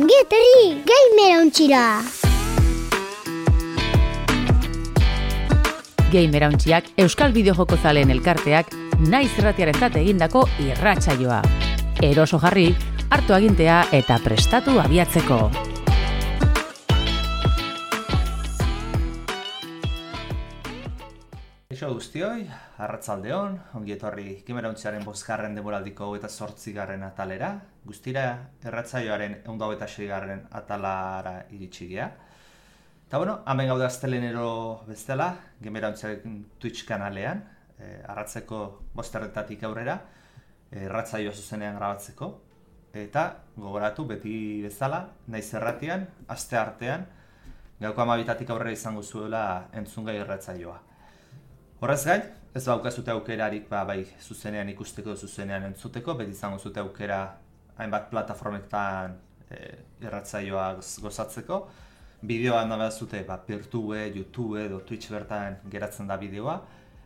Ongi etorri Gamerauntxira! Gamerauntxiak Euskal Bideojoko zaleen elkarteak naiz irratiarentzat egindako irratsaioa. Eroso jarri, hartu agintea eta prestatu abiatzeko. Eixo guztioi, arratzaldeon, ongi etorri Gamerauntxiaren 5. denboraldiko 28. atalera, guztira irratsaioaren 126. atalara iritsi gea. Eta hemen gaude astelenero bestela, Gamerauntxiaren Twitch kanalean, arratzeko 5:00 aurrera, irratsaioa zuzenean grabatzeko. Eta gogoratu beti bezala, naiz irratian, aste artean, gauko 12:00 aurrera izango zuela entzungai irratsaioa. Horrez gain, ez baukazute aukerarik bai zuzenean ikusteko, zuzenean entzuteko, beti izango zute aukera hainbat plataformetan irratsaioa gozatzeko. Bideoa nahi bazute Peertube, YouTube edo Twitch bertan geratzen da bideoa.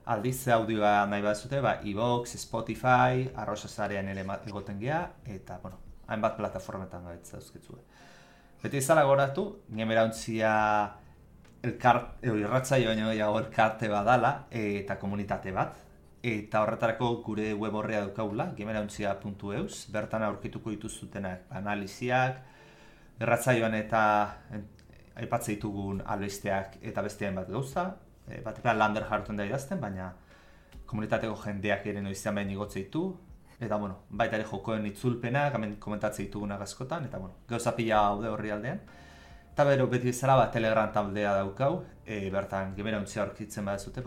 Aldiz audioa nahi bazute iVoox, Spotify, arrosasarean ere egoten gea, eta hainbat plataformetan gaitza euskitzue. Beti izala goratu, Gamerauntzia irratsaio baino gehiago elkarte badala eta komunitate bat. Eta horretarako gure web orria daukagula, gamerauntzia.eus, bertan aurkituko dituzutenak analiziak, irratsaioan eta aipatzen ditugun albisteak eta beste hainbat gauza. Batean lander jartzen da idazten, baina komunitateko jendeak ere noizean behin igotze ditu. Eta baita ere jokoen itzulpenak, hemen komentatzen ditugunak askotan, eta gauza pila haude horri aldean. Eta beti bezala Telegram taldea daukau, bertan Gamerauntzia aurkitzen badazute,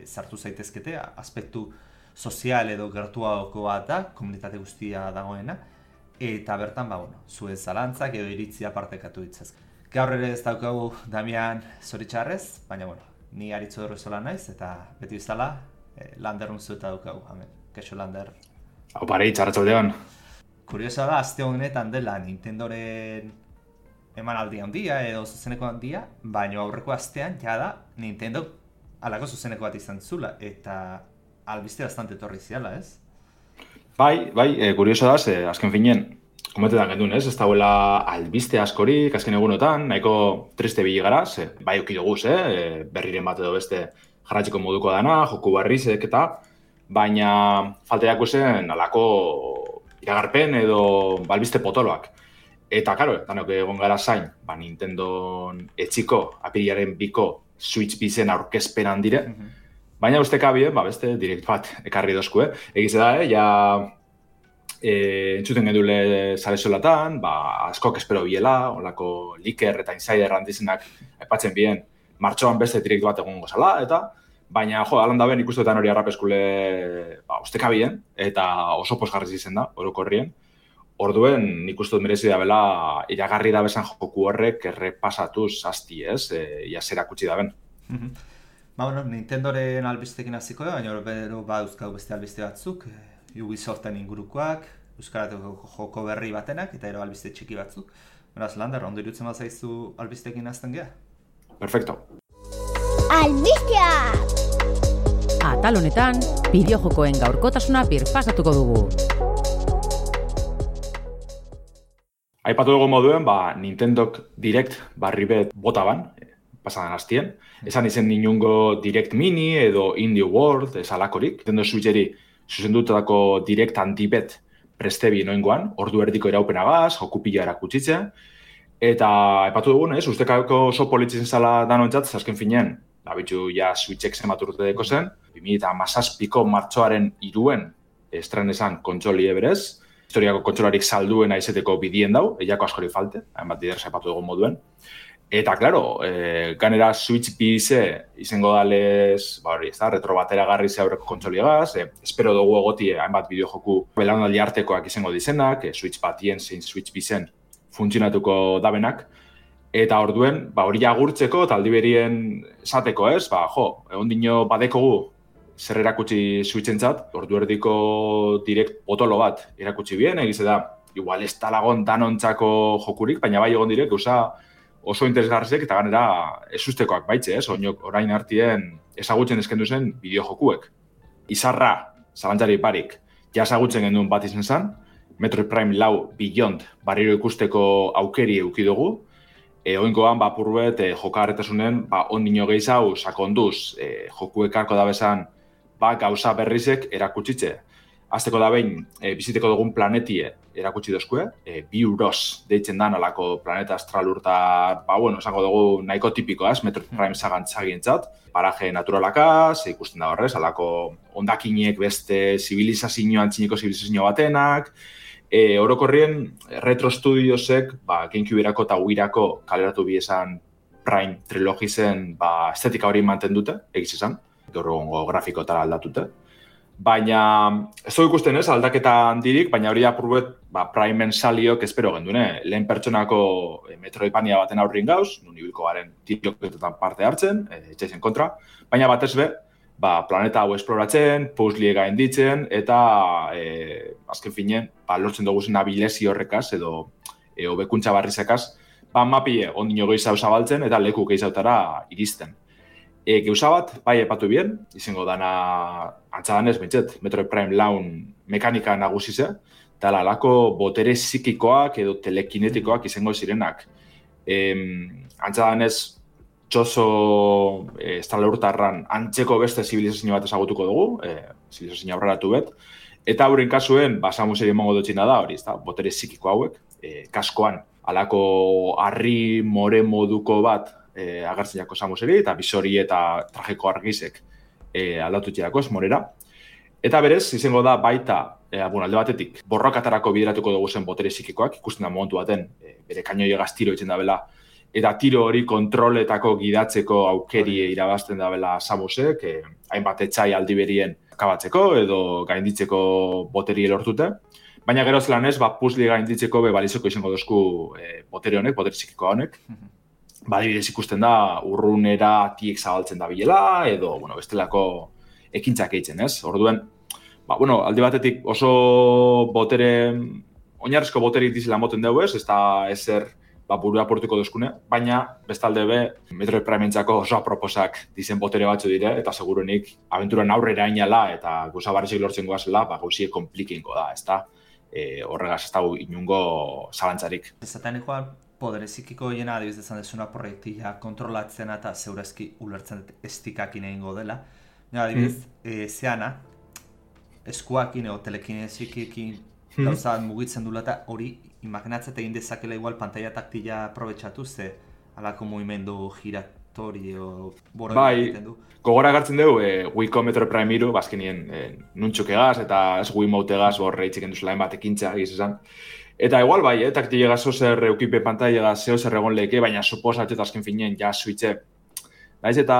sartu zaitezkete, aspektu sozial edo gertuagoko bat da, komunitate guztia dagoena, eta bertan zuen zalantzak edo iritzia partekatu ditzaz. Gaur ere ez daukagu Damian zoritxarrez, baina ni aritzo dorrezola naiz, eta beti bezala Lander unzueta daukagu, hemen. Kaixo Lander. Hau pare, txarratxaldeon. Kuriosa da, aste honetan dela Nintendoren emanaldi handia edo zuzeneko handia, baina aurreko astean jada Nintendo alako zuzeneko bat izan zula, eta albiste bastante etorri ziala, ez? Bai, kurioso da, azken finean, komentetan gendun, ez? Ez dagoela albiste askorik, azken egunotan, nahiko triste bili gara, bai okidoguz, berriren bat edo beste jarratxeko moduko dana, joku barrizek eta, baina falteako zen alako iragarpen edo albiste potoloak. Eta, karo, danok egon gara zain, Nintendo etxiko, apirilaren 2 Switch bizen aurkezpenan dire, baina ustekabien, beste direkt bat ekarri dozku, Egize da, entzuten gendule zare solatan, askok espero biela, olako liker eta insider handizenak aipatzen bien, martxoan beste direkt bat egon gozala, eta baina, alan da ben ikustetan hori arrapeskule ustekabien, eta oso posgarriz izen da, orokorrien. Orduen, nik uste dut merezi da bela iragarri da bezan joku horrek errepasatuz asti, ia zera kutsi da ben. Nintendoren albistekin hasiko da, baina bero dauzkagu beste albiste batzuk, Ubisoften ingurukoak, euskarateko joko berri batenak, eta ero albiste txiki batzuk. Beraz, Lander, ondo irutzen bat zaizu albistekin hasten geha? Perfecto. Albisteak! Atal honetan, bideojokoen gaurkotasuna birpasatuko dugu. Aipatu dugu moduen, Nintendok Direct barribet bota ban, pasadan hastien. Esan izen inungo Direct Mini edo Indie World, esalakorik. Nintendo Switcheri zuzendutako Direct Antibet prestebi noingoan, ordu erdiko iraupenagaz, joku pila erakutsitzea. Eta aipatu dugun, ustekako oso politzen zala danontzat, azken finean, bitxu Switchek zenbaturte deko zen, 2017ko martxoaren 3 estren esan kontsoli eberez, historiako kontsolarik salduena izeteko bidien dau, eiako askori falte, hainbat dider saipatu dugun moduen. Eta, klaro, ganera Switch bize izango dalez, retro batera garri ze aurreko kontsoliagaz, espero dugu egotie hainbat bideojoku belaunaldi artekoak izango dizenak, Switch batien zein Switch bizen funtzionatuko dabenak, eta orduen, hori agurtzeko eta aldiberien esateko, egon dino badekogu zer erakutsi Switchentzat, ordu erdiko direkt potolo bat erakutsi bien, egize da, igual ez talagon danontzako jokurik, baina bai egon direk, oso interesgarrizek eta ganera ezustekoak baitze, orain artien ezagutzen eskendu zen bideojokuek. Izarra, zalantzari parik, ja ezagutzen genduen bat izan zen, Metroid Prime 4 Beyond barriro ikusteko aukeri eduki dugu. Oingoan, purbet, jokagarritasunen, ondino gehiago sakonduz, joku ekarko da bezan, gauza berrizek erakutsitze. Azteko da behin, biziteko dugun planetie erakutsi dozkue, Biuros deitzen da alako planeta astralurta, esango dugu nahiko tipikoa, Metroid Prime sagantzagientzat, paraje naturalakaz, ikusten da horrez, alako ondakinek beste zibilizazioan, txiniko zibilizazio batenak, orokorrien Retro Studiosek, GameCube-erako eta Wii-erako kaleratu biesan Prime trilogizen estetika hori manten dute, egiz izan, gaur egongo grafikotara aldatute. Baina, ez dugu ikusten ez, aldaketa handirik, baina hori apurbet Prime-en saliok espero gendune. Lehen pertsonako Metroidvania baten aurrin gauz, nun ibilko garen tiroketetan parte hartzen, etxaizen kontra, baina batez be, planeta hau esploratzen, puzzle gainditzen, eta azken finen, lortzen dugu zen abilezi horrekaz, edo hobekuntza barrizekaz, mapie ondino gehiago zabaltzen, eta leku gehiagotara iristen. Geuza bat, epatu bien, izango dana antzadanez, bentset, Metroid Prime Laun mekanika nagusize, eta alako botere psikikoak edo telekinetikoak izango zirenak. Antzadanez, txoso estralurtarran antzeko beste zibilizazio bat ezagutuko dugu, zibilizazio aurreratu bet, eta hauren kasuen, samuseri emango dutxina da, hori, botere psikiko hauek, kaskoan, alako harri more moduko bat, agertzen jako samuseri, eta bisori eta trajeko argizek aldatutxeako morera. Eta berez, izango da baita, alde batetik, borrokatarako bideratuko dugu zen botere psikikoak, ikusten da momentu baten, bere kainoi egaz tiro itzen da bela, eta tiro hori kontroletako gidatzeko aukeri irabazten da bela Samusek, hainbat etxai aldi berien akabatzeko edo gainditzeko boteri lortute. Baina gero zelan ez, puzzle gainditzeko balizoko izango dozku botere honek, botere psikiko honek. Adibidez ikusten da, urrunera tiek zabaltzen da bilela, edo, bestelako ekintzak eitzen, ez? Orduen, alde batetik oso botere, oinarrizko boterik dizela moten dugu ez da ezer burua portuko duzkune, baina bestalde be, Metroid Prime-entzako oso aproposak dizen botere batzu dire, eta segurunik abenturan aurrera inala, eta gauza barrizek lortzen goazela, gauzie komplikinko da, ez da? Horregaz ez dago inungo zalantzarik. Ezaten ikual, podere psikiko hiena adibiz dezan desuna proiektia kontrolatzen eta zeurezki ulertzen estikakin egingo dela. Adibiz, zeana, eskuakin edo telekinezikikin gauzat mugitzen dula eta hori imaginatzat egin dezakela igual pantalla taktila aprobetxatu ze alako mugimendu giratori o boro egiten du. Gogora gartzen dugu, Wii-ko Metroid Prime 3, bazkenien nuntxuk egaz eta ez Wiimote egaz borre itxiken duzula bat ekintza egiz esan. Eta igual taktile egaz ozer eukipe pantalla egaz zeo zer egon leke, baina suposatxe eta azken finien ja switche. Daiz eta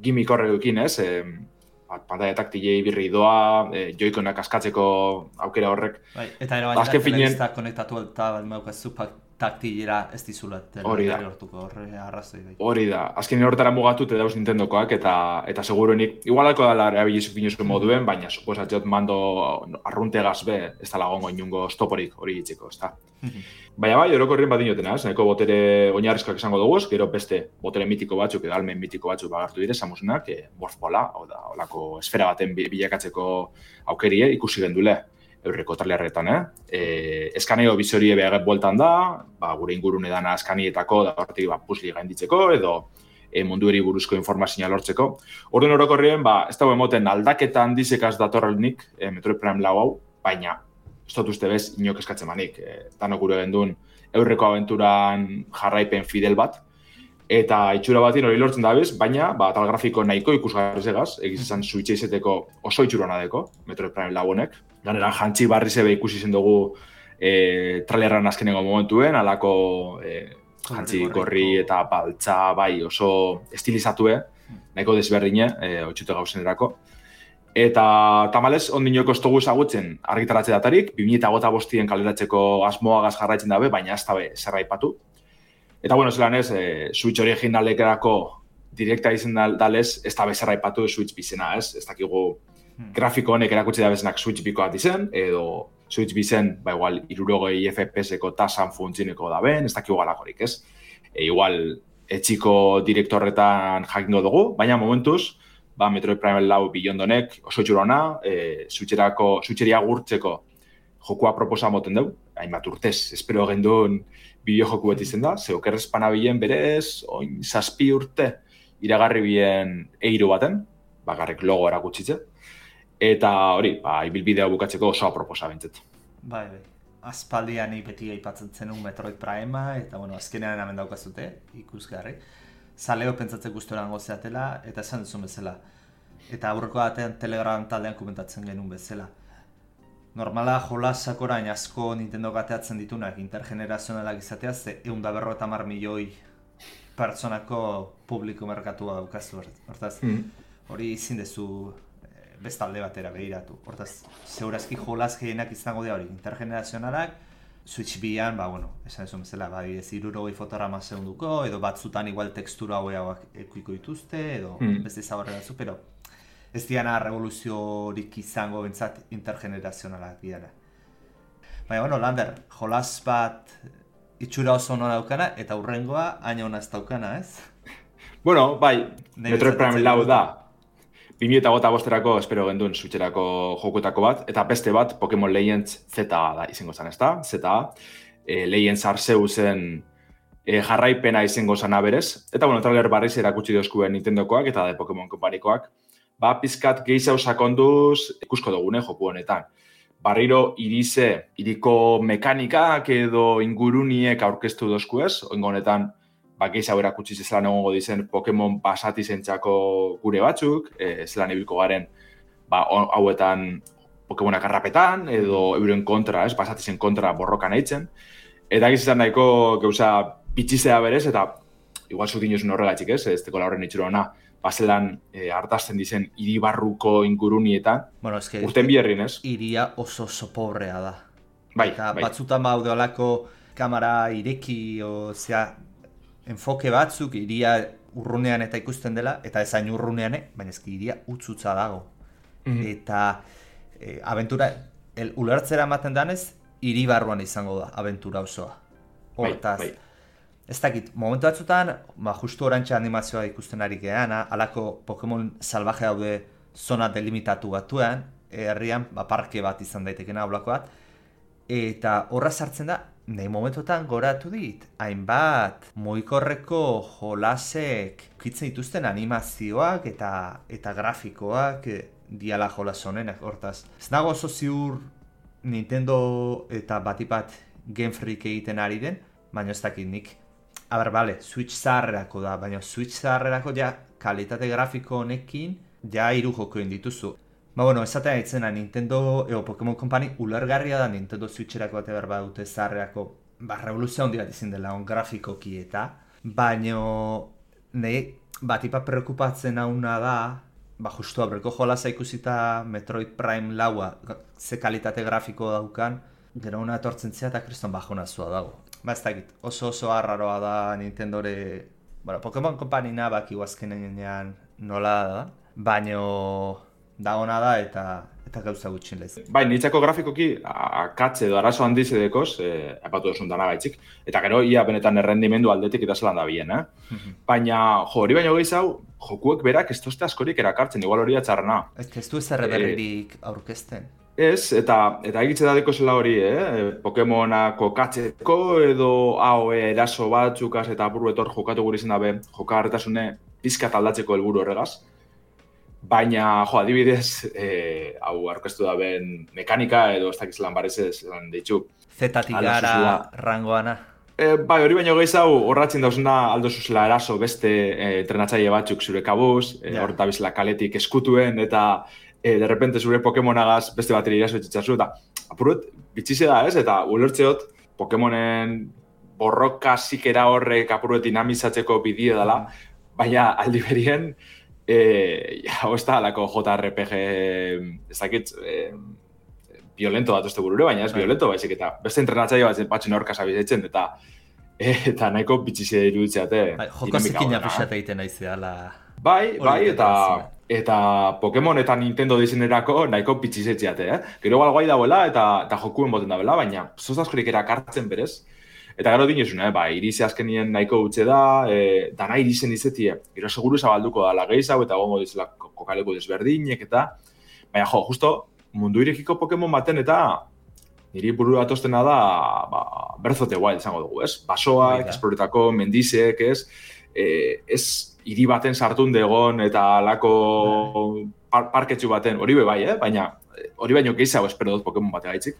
gimik horre dukin ez, pantalla taktilei birri doa, joikonak askatzeko aukera horrek. Eta ero baina telebizta konektatu eta balmeukazu taktilera ez dizula telebizta hortuko horre arrazoi. Hori da, azken horretara mugatut dauz Nintendokoak eta seguruenik, igualako dala erabilizuk finuzko moduen, baina suposatxot mando arruntegaz be, ez da lagongo inungo stoporik hori gitzeko, ez da. Baina orokorrien bat dinotena, nahiko botere oinarrizkoak izango dugu, gero beste botere mitiko batzuk edo almen mitiko batzuk bagartu dire, Samusenak, Morphbola, olako esfera baten bilakatzeko aukerie ikusi gendule eurreko trailerretan, eskaneo bizorie behaget bueltan da, gure ingurune dana eskanietako, da horretik puzzle gainditzeko, edo mundueri buruzko informazioa lortzeko. Orduan orokorrien, ez dago emoten aldaketa handizekaz datorrenik Metroid Prime 4 hau, baina ez dut uste bez inok eskatzen manik. Danok gure gendun eurreko abenturan jarraipen fidel bat, eta itxura batin hori lortzen da bez, baina tal grafiko nahiko ikusgarriz egaz, egiz esan Switch izeteko oso itxurona deko, Metroid Prime 4 honek. Ganera, jantzi barri zebe ikusi zen dugu trailerran azkenengo momentuen, alako jantzi gorri eta baltza oso estilizatue, nahiko desberdine, otxute gauzenerako. Eta tamalez, ondinoko ez dugu ezagutzen argitaratze datarik, 2005 kaleratzeko asmoagaz jarraitzen dabe, baina ez dabe zerraipatu. Eta, zelan ez, Switch originalekerako direkta izan dalez, ez dabe zerraipatu Switch bizena, ez? Ez dakigu grafiko honek erakutsi da bezenak Switch bikoat izen, edo Switch bizen, igual, 60 FPS-eko tasan funtzineko da ben, ez dakigu galakorik, ez? Igual, etxiko direktorretan jakingo dugu, baina momentuz, Metroid Prime 4 Beyond honek oso txurona, Switcheria gurtzeko jokua proposa moten dugu, hainbat urtez, espero gendun bideo-joku bat izen da, ze okerrez panabilen berez, 7 urte, iragarri bien eiro baten, bakarrik logo erakutsitze, eta hori, ibilbidea bukatzeko oso proposa bintzet. Bai. Aspaldian beti aipatzen zenun Metroid Primea, eta azkenean hemen daukazute, ikusgarri. Zaleo pentsatzen guztoran gozeatela, eta esan duzun bezala. Eta aurreko batean Telegram taldean komentatzen genuen bezala. Normala jolasak orain asko Nintendo gateatzen ditunak intergenerazionalak izatea, ze 150 milioi pertsonako publiko merkatua daukazu. Hortaz, hori ezin dezu bestalde batera behiratu. Hortaz, zeurazki jolaz gehienak izango dira hori, intergenerazionalak, Switch bian, esan esan bezala, 60 fotograma segunduko, edo batzutan igual tekstura haueak ekuiko dituzte, edo beste zaborre batzu, pero ez diana revoluziorik izango bentsat intergenerazionalak diana. Baina, Lander, jolaz bat itxura oso ona daukana, eta hurrengoa haina ona ez daukana, ez? Bai, Metroid Prime lau da. 2025erako espero genduen Switcherako jokutako bat, eta beste bat Pokemon Legends ZA da izango zen, ezta? ZA, Legends Arseusen jarraipena izango zana berez, eta trailer barriz erakutsi dozkuen Nintendokoak eta Pokemon Companikoak, pizkat gehiago sakonduz ikusko dugune joku honetan. Barriro iriko mekanikak edo inguruniek aurkeztu dozku ez, oingo honetan gehiago erakutsi zelan egongo dizen Pokemon pasati zentzako gure batzuk, zelan ibilko garen hauetan Pokemonak arrapetan, edo euren kontra, pasati zen kontra borrokan eitzen. Eta gizizan nahiko gauza bitxizea berez, eta igual zut inosun horregatxik ez teko horren itxura hona, zelan hartazten dizen hiribarruko ingurunietan, urten biherrin ez? Iria oso pobrea da. Bai. Batzutan baude olako kamera ireki, enfoke batzuk iria urrunean eta ikusten dela, eta ezain urrunean, baina ezki iria utzutza dago. Eta abentura, ulertzera ematen danez, hiri barruan izango da abentura osoa. Hortaz, ez dakit, momentu batzutan, justu orantxe animazioa ikusten ari geana, alako Pokemon salvaje daude zona delimitatu batuan, herrian parke bat izan daitekena aulako bat, eta horra sartzen da, nahi momentotan goratu dit, hainbat mugikorreko jolasek kitzen dituzten animazioak eta grafikoak diala jolas honenak, hortaz. Ez nago oso ziur Nintendo eta batipat Game Freak egiten ari den, baina ez dakit nik. Switch zaharrerako da, baina Switch zaharrerako kalitate grafiko honekin hiru jokoen dituzu. Esatea ditzena, Nintendo Pokemon Company ulergarria da Nintendo Switcherako bate behar dute zaharreako revoluzio handi bat izin dela grafikoki eta, baina nahi batipa preokupatzen hauna da, justu aurreko jolasa ikusita Metroid Prime laua ze kalitate grafiko daukan, gero una etortzen zea eta kriston bajonazua dago. Ez dakit, oso arraroa da Nintendore, Pokemon Company baki azkenean nola da, baina dagona da eta gauza gutxin lez. Bai, nitzako grafikoki akatze edo arazo handiz edekoz, apatu duzun dana gaitzik, eta gero ia benetan errendimendu aldetik eta zelan da bien, Baina, hori baino gehiago, jokuek berak ez tozte askorik erakartzen, igual hori atxarrena. Ez du ez erreberririk aurkezten. Ez, eta egitze dadeko zela hori, Pokemonako katzeko edo AOE eraso batzukaz eta apuru etor jokatu gure izan dabe, jokagarretasune pizkat aldatzeko helburu horregaz. Baina, adibidez, hau aurkeztu da ben mekanika edo ez dakiz lan barezez lan ditxu. Zetatik gara rangoana. Bai, hori baino gehiago horratzen dauzuna aldo zuzela eraso beste entrenatzaile batzuk zure kabuz, horreta bizela kaletik eskutuen eta de repente zure Pokemonagaz beste bateri iraso etxitzazu eta apuruet bitxize da ez, eta ulertzeot Pokemonen borroka zikera horrek apuruet dinamizatzeko bidie dela, baina aldi berien ez da alako JRPG ez dakit violento bat uste burure, baina ez violento baizik eta beste entrenatzaile batzen aurka zabizetzen eta nahiko bitxizia iruditzeate. Joko zikin apixate egiten aizeala. Bai, eta Pokemon eta Nintendo dizenerako nahiko bitxizetziate, Gero guai dauela eta jokuen boten dauela, baina zozaskorik erakartzen berez. Eta gero dinezuna, irize azkenien nahiko utxe da, dana irizen izetie, gero seguru zabalduko da lageizago eta gongo dizela kokaleko desberdinek eta, baina justo mundu irekiko Pokemon baten eta niri burua atostena da, Breath of the Wild izango dugu, ez? Basoak, esploretako, mendizek, ez? Ez hiri baten sartun degon eta alako parketxu baten, hori bai, baina hori baino gehiago espero dut Pokemon bategaitzik.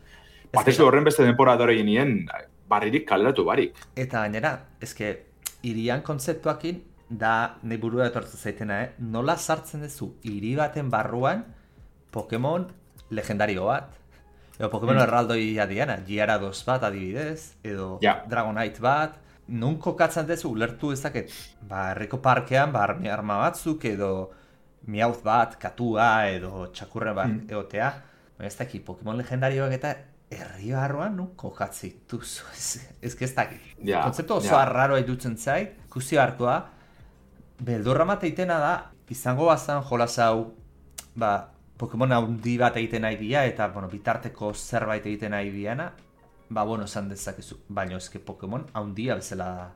Batez du horren beste denpora dore nien, barririk kaleratu barik. Eta gainera, eske, hirian kontzeptuakin, da nahi burua etortzen zaitena, nola sartzen duzu hiri baten barruan Pokemon legendario bat, edo Pokemon erraldoia diana, Gyarados bat adibidez, edo Dragonite bat, nun kokatzen duzu, ulertu ezaket, herriko parkean, arma batzuk, edo Meowth bat, katua, edo txakurren bat egotea, baina ez dakit, Pokemon legendarioak eta herri barruan nun kokatzen duzu, ez dakit. Kontzeptu oso arraroa irutzen zait, ikusi hartua, beldurra mateitena da, izango bazan jolas hau, Pokemon haundi bat egiten nahi dia, eta bitarteko zerbait egiten nahi diana, esan dezakezu, baina ezke Pokemon haundia bezala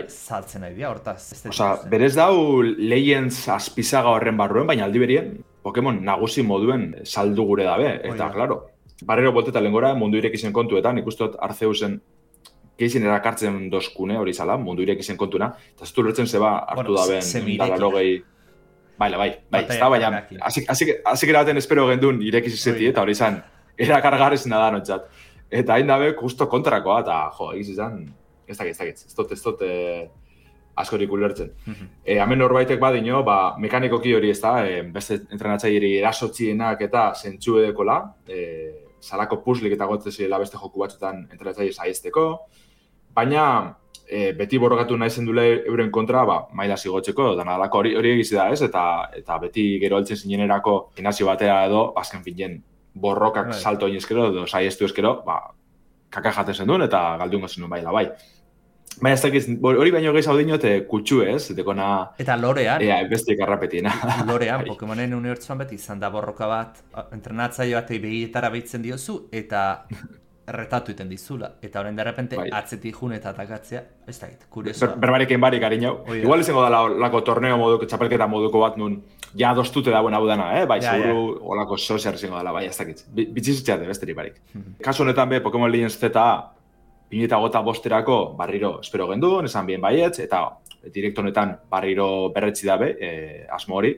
saltzen nahi dia, hortaz. Berez dau Legends azpizaga horren barruen, baina aldi berien Pokemon nagusi moduen saldu gure dabe, eta, klaro, barrero bolteta lengora mundu irekizen kontuetan, ikustot Arceusen geizien erakartzen dozkune hori zala, mundu irekizen kontuna, eta zutu lertzen zeba hartu daben dalarogei... Bai, ez da, baina, hasik erabaten espero gendun irekizizeti, eta hori izan, erakargarrezina da notzat. Eta hain dabe, justo kontrakoa, eta egiz izan, ez dakit, ez dut askorik ulertzen. Hemen norbaitek badino, mekanikoki hori ez da, beste entrenatzaileri erasotzienak eta zentsu edekola, salako puzzlik eta gotzen zirela beste joku batzutan entrenatzaile saizteko, baina beti borrokatu nahi zendule euren kontra, maila zigotzeko, dana alako hori egizi da ez, eta beti gero altzen zinenerako gimnasio batera edo, azken finen, borrokak salto inezkero edo saiztu ezkero, kaka jaten zenduen eta galdungo zenuen bai. Baina ez dakiz, hori baino gehiago dinot kutsu ez, dekona... Eta lorean. Bestiek arrapetiena. Lorean, Pokemonen unibertsuan beti izan da borroka bat, entrenatzaile batei begietara behitzen diozu, eta erretatu iten dizula. Eta horren derrepente atzetik jun eta atakatzea, ez dakit, kuriosoa. Berbarekin barik harinau. Igual izango da lako torneo moduko, txapelketa moduko bat nun, ja dostute dauen hau dana, bai, seguru olako soziar izango dela, bai, ez dakit. Bitzizutxeate, besteri barik. Kasu honetan be, Pokemon Legends Z 2005 barriro espero genduen, esan bien baietz, eta direkto honetan barriro berretzi dabe, asmo hori.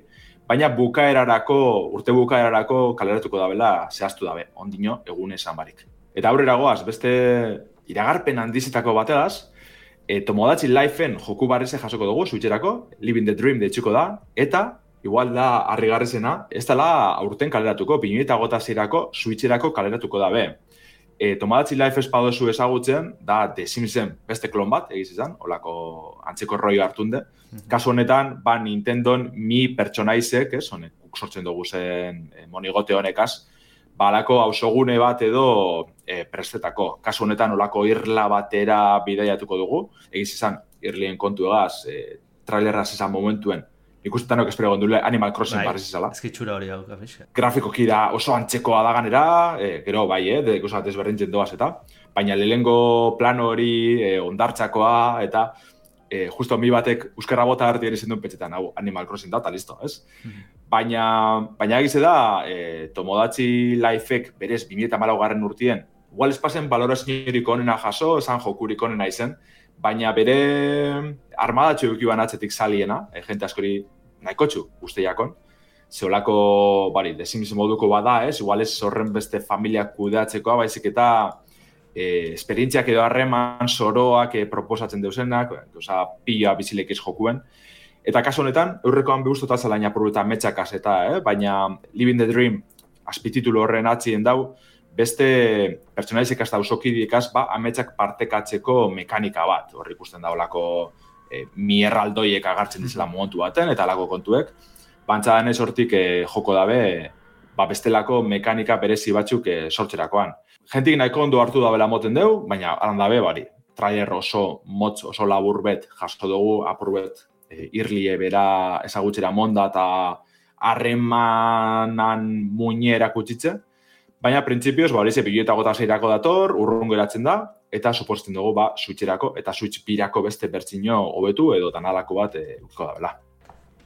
Baina urte bukaerarako kaleratuko dabela zehaztu dabe, ondino egun esan barik. Eta aurrera goaz, beste iragarpen handizetako bategaz, Tomodachi Lifeen joku barreze jasoko dugu, Switcherako, Living the Dream deitzuko da, eta igual da harrigarrizena, ez dela aurten kaleratuko, 2006ko Switcherako kaleratuko dabe. Tomodachi Life espadozu ezagutzen, da The Simsen beste klon bat, egiz izan, olako antzeko roi hartunde. Kasu honetan, Nintendon mi pertsonaizek, honek sortzen dugu zen monigote honekaz, alako hausogune bat edo prestetako. Kasu honetan, olako irla batera bidaiatuko dugu, egiz izan, irlien kontu egaz, trailerraz izan momentuen, ikustetanok espero gondule Animal Crossing barriz izala. Ezkitxura hori hau gafiska. Grafikoki da oso antzekoa da ganera, gero bai, ikusat ezberdintzen doaz eta, baina lehengo plano hori ondartzakoa eta justo mi batek euskarra bota harti ere zenduen petxetan, hau Animal Crossing da, eta listo, ez? Baina egize da, Tomodachi Lifeek berez 2014 urtien, igual espazen baloraziorik onena jaso, esan jokurik onena izen, baina bere armadatxo eukiban atzetik saliena, jente askori nahikotxu usteiakon, zeolako, The Sims moduko bada, igual ez horren beste familiak kudeatzekoa, baizik eta esperientziak edo harreman soroak proposatzen deusenak, pila bizilekiz jokuen. Eta kasu honetan, eurrekoan behuztotan zelain apurruta metxakaz eta, baina Living the Dream azpititulu horren atzien dau, beste pertsonaizik hasta usokidikaz, ametsak partekatzeko mekanika bat. Horri ikusten da olako mierraldoiek agartzen dizela momentu baten, eta alako kontuek. Bantzadan ez hortik joko dabe, bestelako mekanika berezi batzuk sortzerakoan. Gentik nahiko ondo hartu dabela moten deu, baina alan dabe, trailer oso motz, oso labur bet, jasko dugu, apur bet, irlie bera ezagutxera monda eta harremanan muñera kutsitze. Baina, printzipioz, hori ze 2006ko dator, urrun geratzen da, eta suposten dugu, Switcherako eta Switch birako beste bertzino hobetu edo tanalako bat ukiko dabela.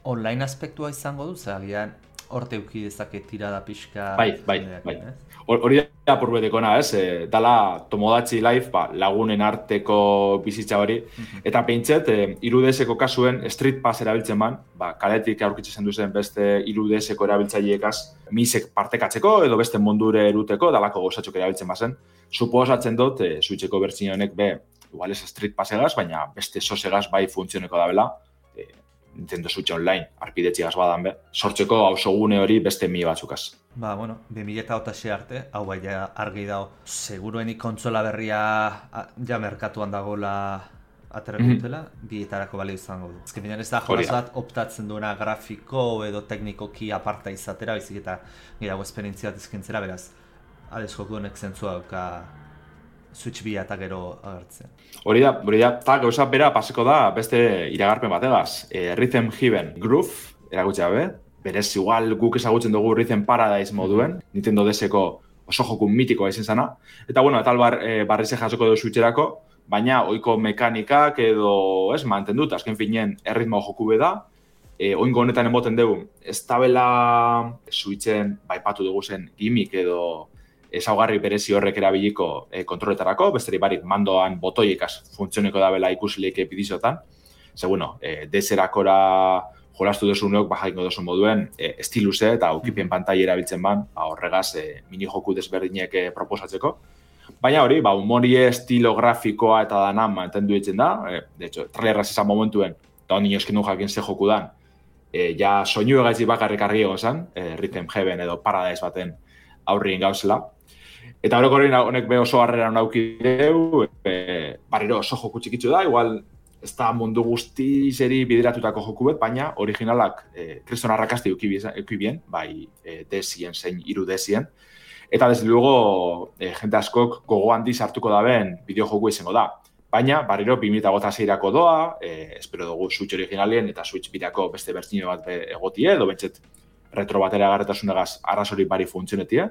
Online aspektua izango du, zagian, horte uki dezake tirada pixka... Bai. Hori da purbeteko ez? Dala Tomodachi Life, lagunen arteko bizitza hori. Eta pentset, 3DSeko kasuen Street Pass erabiltzen man, kaletik aurkitzen duzen beste 3DSeko erabiltzaileekaz misek partekatzeko edo beste mondure eruteko, dalako gozatzok erabiltzen bazen. Suposatzen dut, Switcheko bertsio honek igual ez Street Passegaz, baina beste sosegaz bai funtzioneko da bela, Nintendo Switch Online, arpidetxigaz badan sortzeko hausogune hori beste batzukaz. Bueno, 2008 arte, hau bai argi dago, seguruenik kontsola berria ja merkatuan dagoela aterako dutela, bietarako balio izango du. Ezken finean ez da jolaz bat optatzen duena grafiko edo teknikoki aparta izatera, bizik eta girago esperientzia bat izkintzera, beraz, adez joku honek zentzua dauka Switch 2 eta gero agertzen. Hori da, eta gauza bera paseko da beste iragarpen bategaz. Rhythm Heaven Groove, erakutxea berez igual guk ezagutzen dugu Rhythm Paradise moduen, Nintendo DS-eko oso joku mitikoa izan zana. Eta eta barrize jasoko du Switcherako, baina ohiko mekanikak edo mantendut, azken finean erritmo joku beda, oingo honetan emoten dugu, ez tabela Switchen baipatu dugu zen gimmick edo ezaugarri berezi horrek erabiliko kontroletarako, besteri barik mandoan botoiekaz funtzioneko dabela ikusileik epidizotan. Ze, DS-erakora jolastu duzunok, jaingo duzu moduen, estiluse eta ukipien pantai erabiltzen ban, horregaz mini joku desberdinek proposatzeko. Baina hori, humorie estilo grafikoa eta dana mantendu ditzen da. De hecho, trailerraz izan momentuen, eta honi eskin du jakin ze joku dan, ja soinu egaitzi bakarrik argi egon zen, Rhythm Heaven edo Paradise baten aurrien gauzela. Eta horrek honek oso harrera nauki deu, barriro oso joku txikitzu da, igual ez da mundu guzti zeri bideratutako joku bet, baina originalak kriston arrakasti eukibien, bai DS-ien zein 3DS-ien. Eta desde luego, jente askok gogo handiz hartuko daben bideo joku izango da. Baina, barriro 2006-erako doa, espero dugu Switch originalien eta Switch birako beste bertsio bat egotie, edo bentset retro batera agarretasunegaz arrazori bari funtzionetie.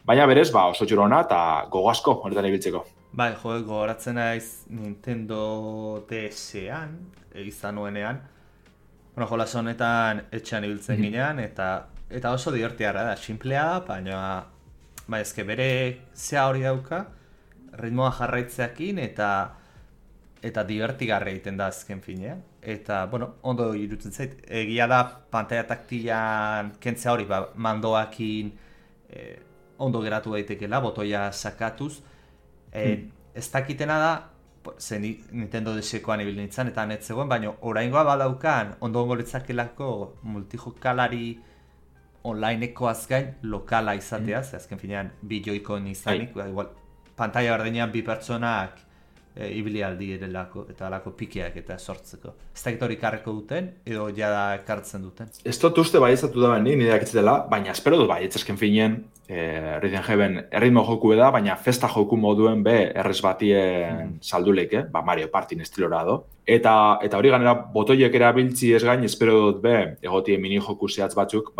Baina berez, oso txurona eta gogo asko horretan ibiltzeko. Bai, gogoratzen naiz Nintendo DS-ean, izan nuenean. Jolas honetan etxean ibiltzen ginean, eta oso divertiarra da, simplea da, baina ezke bere zea hori dauka, ritmoa jarraitzeakin eta divertigarra egiten da azken finean. Eta, ondo irutzen zait, egia da pantalla taktilan kentzea hori, mandoakin ondo geratu daitekela, botoia sakatuz. Ez dakitena da, ze Nintendo DS-koan ibil nintzen eta netzegoen, baina oraingoa badaukan ondo litzakelako multijokalari onlinekoaz gain lokala izatea, ze azken finean bi joikon izanik, igual pantalla berdinean bi pertsonak ibili aldi erelako eta alako pikiak eta sortzeko. Ez dakit hori karreko duten edo jada ekartzen duten? Ez dut uste baiezatu da benik, nire dakitzetela, baina espero dut baietz finean Rhythm Heaven erritmo joku da, baina festa joku moduen errez batien salduleke, Mario Partin estilora do. Eta hori ganera botoiek erabiltzi ez gain, espero dut egotien mini joku zehatz batzuk,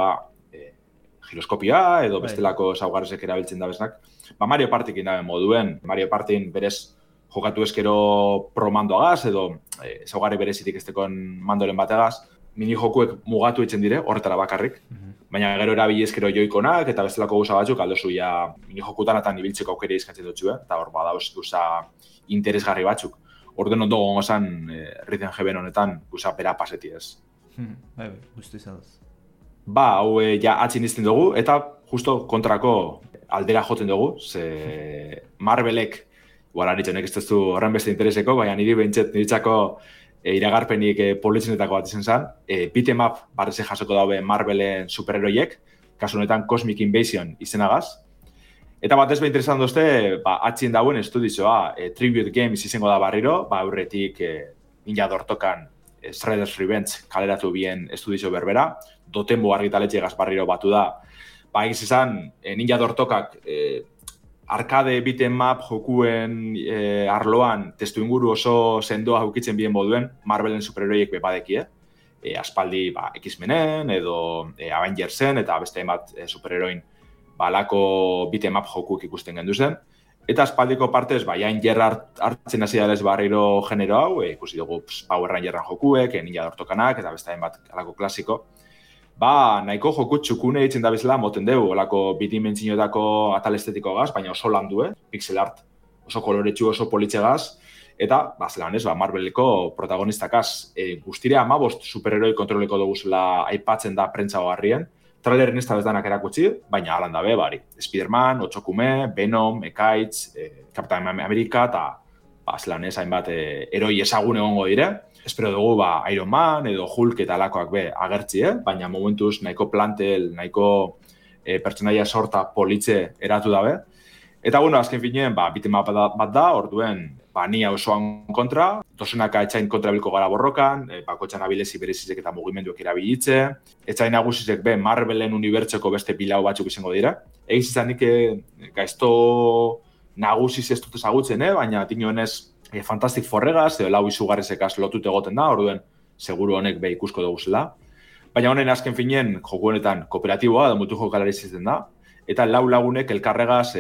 giroskopia edo bestelako zaugarrezek erabiltzen da beznak. Mario Partikin da moduen, Mario Partin berez jokatu eskero pro mandoagaz edo ezaugarri berezitik estekon mandoren bategaz, mini jokuek mugatu etzen dire, horretara bakarrik. Baina gero erabili eskero joikonak eta bestelako gauza batzuk aldozu ja mini jokutan eta nibiltzeko aukera izkatzen dutxu, eta hor badauz guza interesgarri batzuk. Orden ondo gongo zan Rhythm Heaven honetan guza pera paseti ez. Guztu izaduz. Hau ja atzin izten dugu eta justo kontrako aldera joten dugu, ze Marvelek igual haritxonek ez duzu horren beste intereseko, baina niri niretzako iragarpenik politzenetako bat izan zen. Beat'em up barreze jasoko daube Marvelen superheroiek, kasu honetan Cosmic Invasion izenagaz. Eta batez interesan dozte, atxien dauen estudizoa, Tribute Games izango da barriro, aurretik Ninja Dortokan Shredder's Revenge kaleratu bien estudizo berbera, Dotenbo argitaletxegaz barriro batu da. Egiz izan, Ninja Dortokak arcade beat'em up jokuen arloan testu inguru oso sendoa aukitzen bien moduen Marvelen superheroiek bepadeki, aspaldi X-Menen edo Avengersen eta beste bat superheroin balako beat'em up jokuk ikusten gendu zen. Eta aspaldiko partez, jain jerra hartzen hasi da barriro genero hau, ikusi dugu Power Rangerran jokuek, Ninja Dortokanak eta beste bat alako klasiko. nahiko joku txukune ditzen da bezala moten dugu, olako bidimentzinotako atal estetikoagaz, baina oso landu, pixel art, oso koloretsu, oso politxegaz, eta, zelan ez, Marveleko protagonistakaz. Guztire 15 superheroi kontroleko dugu zela aipatzen da prentza hogarrien, trailerin ez da bezdanak erakutsi, baina alan dabe, bari. Spider-Man, Otsokume, Venom, Ekaitz, Captain America, eta zelan ez, hainbat eroi ezagun egongo dire. Espero dugu Iron Man edo Hulk eta alakoak agertzi, baina momentuz nahiko plantel, nahiko pertsonaia sorta politxe eratu dabe. Eta bueno, azken finean, bitema bat da, orduen, nia osoan kontra, dozenaka etxain kontra bilko gara borrokan, bakotxan abilezi berezizek eta mugimenduek erabilitze, etxain nagusizek Marvelen unibertseko beste pilau batzuk izango dira. Egiz izanik gaizto nagusiz ez dut ezagutzen, baina tinioenez Fantastic Fourregaz, edo lau izugarrizekaz lotute egoten da, orduen, seguru honek ikusko dugu zela. Baina honen azken finean, joku honetan kooperatiboa, da mutu jokalari izaten da, eta lau lagunek elkarregaz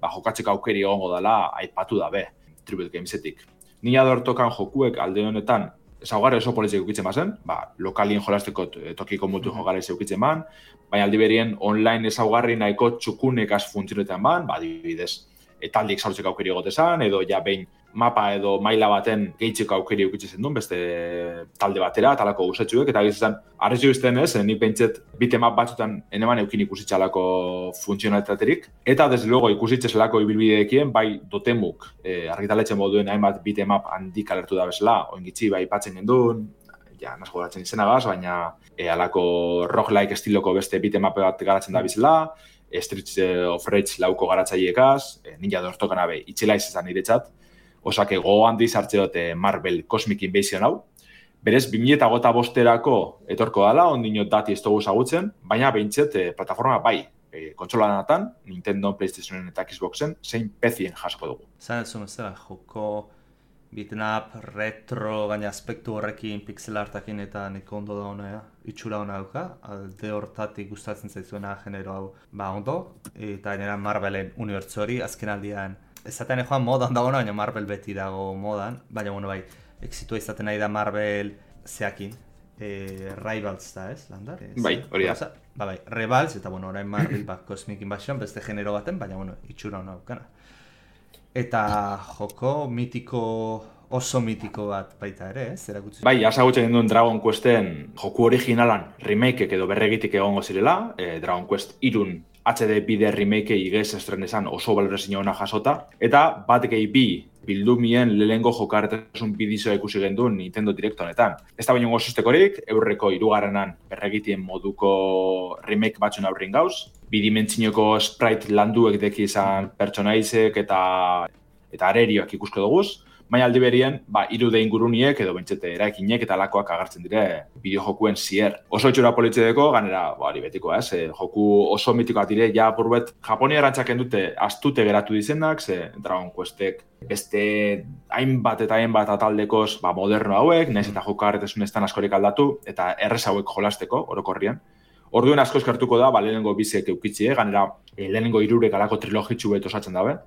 jokatzeko aukeri egongo dela aipatu dabe, Tribute Gamesetik. Nina dortokan jokuek alde honetan, ezaugarri oso politzek eukitzen bazen, lokalien jolasteko tokiko mutu jokalari eukitzen ban, baina aldi berien online ezaugarri nahiko txukunekaz funtzionetan ban, adibidez, taldik zaurtzeko aukeri egotezan, edo ja behin mapa edo maila baten gehitzeko aukeri eukitzen duen, beste talde batera, talako guztetxuek, eta gizizan, arrezio izten ez, nik pentset bitemap batzutan eneman eukin ikusitxalako funtzionalitaterik, eta desde luego ikusitxeselako ibilbideekien, bai dotemuk argitaletzen moduen hainbat bitemap handik alertu da bezala, oingitzi bai patzen gendun, ja, nasko garatzen izenagaz, baina alako roguelike estiloko beste bitemape bat garatzen da bizela, Streets of Rage lauko garatzaileekaz, Ninja dortokan abe, itxela izan niretzat, osake gogoan dizartze dute Marvel Cosmic Invasion hau. Berez, 2025erako etorko dala, ondino dati ez dugu ezagutzen, baina behintzet plataforma bai, kontsolanatan, Nintendo, PlayStationen eta Xboxen, zein PC-en jasko dugu. Zan ez zumezela, joko beat'em-up, retro, gaina aspektu horrekin, pixel artakin eta neko ondo da hona, itxura hona dauka, alde hortatik gustatzen zaizuena genero hau, ondo, eta nera Marvelen unibertso hori, azken aldian, ezaten joan modan dago, baina Marvel beti dago modan, baina bueno, bai, exitua izaten nahi da Marvel zeakin, Rivals da, ez, Landar? Bai, hori da. Bai, Rivals, eta bueno, orain Marvel Cosmic Invasion, beste genero baten, baina bueno, itxura hona daukana. Eta joko mitiko, oso mitiko bat baita ere, ez? Erakutsi. Bai, azagutzen duen Dragon Questen joku originalan remakeek edo berregitik egongo zirela, Dragon Quest 3 HD bide remake igez estrenesan oso balorazio ona jasota, eta batekei bi bildumien lehengo jokarretasun bidizoa ikusi genduen Nintendo Direct honetan. Ez da baino gozustekorik, eurreko 3. berregitien moduko remake batzun aurrin gauz, bidimentzinoko sprite landuek deki izan pertsonaizek eta arerioak ikusko duguz, baina aldi berien, 3D inguruniek edo bentsete eraikinek eta lakoak agertzen dire bideojokuen zier. Oso itxura politxedeko, ganera, hori betiko, joku oso mitikoak dire, ja burbet, Japonia erantzaken dute astute geratu dizenak, ze Dragon Questek beste hainbat eta hainbat ataldekoz moderno hauek, nahiz eta jokarretesun estan askorik aldatu, eta errez hauek jolasteko, orokorrian. Orduen asko eskartuko da, lehenengo bizek eukitzie, ganera lehenengo 3 alako trilogitxu bet osatzen dabe,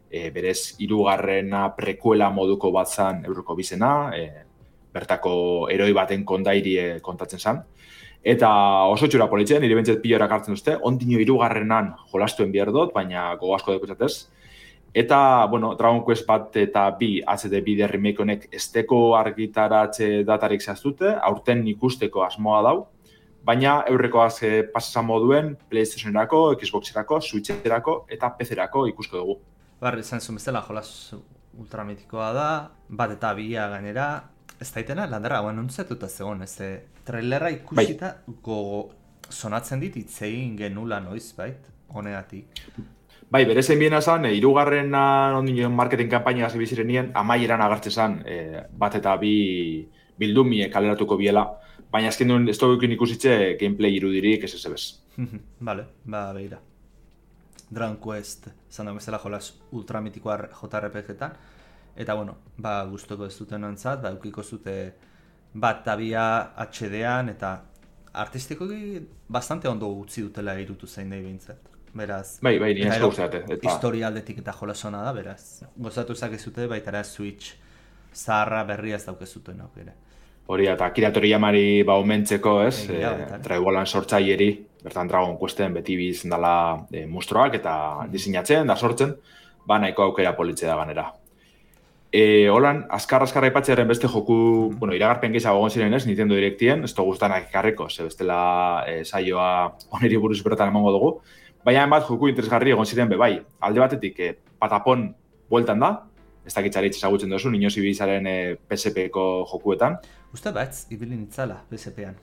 berez 3. prekuela moduko bat zan euroko bizena, bertako heroi baten kondairie kontatzen zan. Eta oso txura politzen, nire bentzet pilorak hartzen duzte, ondino 3. jolastuen behar dut, baina gogo asko dekutzatez. Eta, bueno, Dragon Quest bat eta 2 HD bide remake honek esteko argitaratze datarik zehaztute, aurten ikusteko asmoa dau, baina eurrekoaz pasazan moduen PlayStationerako, Xboxerako, Switcherako eta PC-erako ikusko dugu. Izan zuen bezala, jolas ultramitikoa da, bat eta 2 gainera, ez daitena, Landerra, nuntzatuta zegoen, ez trailerra ikusita gogo sonatzen dit itzegin genula noiz, bait, honegatik. Bai, bere zein biena zan, 3. ondino marketing kampaina hasi bizirenien, amaieran agertzen zan, bat eta 2 bildumie kaleratuko biela, baina azken duen ez dugukin ikusitze gameplay irudirik ez ez. Vale, behira. Dragon Quest, zan dago bezala jolas ultramitikoa JRPG-etan, eta bueno, gustoko ez duten antzat, eukiko zute bat eta 2 HD-an, eta artistikoki bastante ondo utzi dutela irutu zein nahi behintzat. Beraz, bai, nire asko guztate. Historia aldetik eta jolasona da, beraz. Gozatu zakezute, baita Switch zaharra berria ez daukezuten aukera. Hori eta Akira Toriyamari omentzeko, ez? Dragon sortzaileri, bertan Dragon Questen beti bizen dela mustroak eta diseinatzen da sortzen, nahiko aukera politxe da ganera. Holan, azkar aipatzearen beste joku, iragarpen gehiago egon ziren ez, Nintendo Directien, ez dugu guztanak ekarriko, bestela saioa oneri buruz bertan emango dugu, baina bat joku interesgarri egon ziren bai. Alde batetik, Patapon bueltan da, ez dakitzaritz ezagutzen duzu, inoz ibilizaren PSP-ko jokuetan. Uste batz, ibilin itzala PSP-an.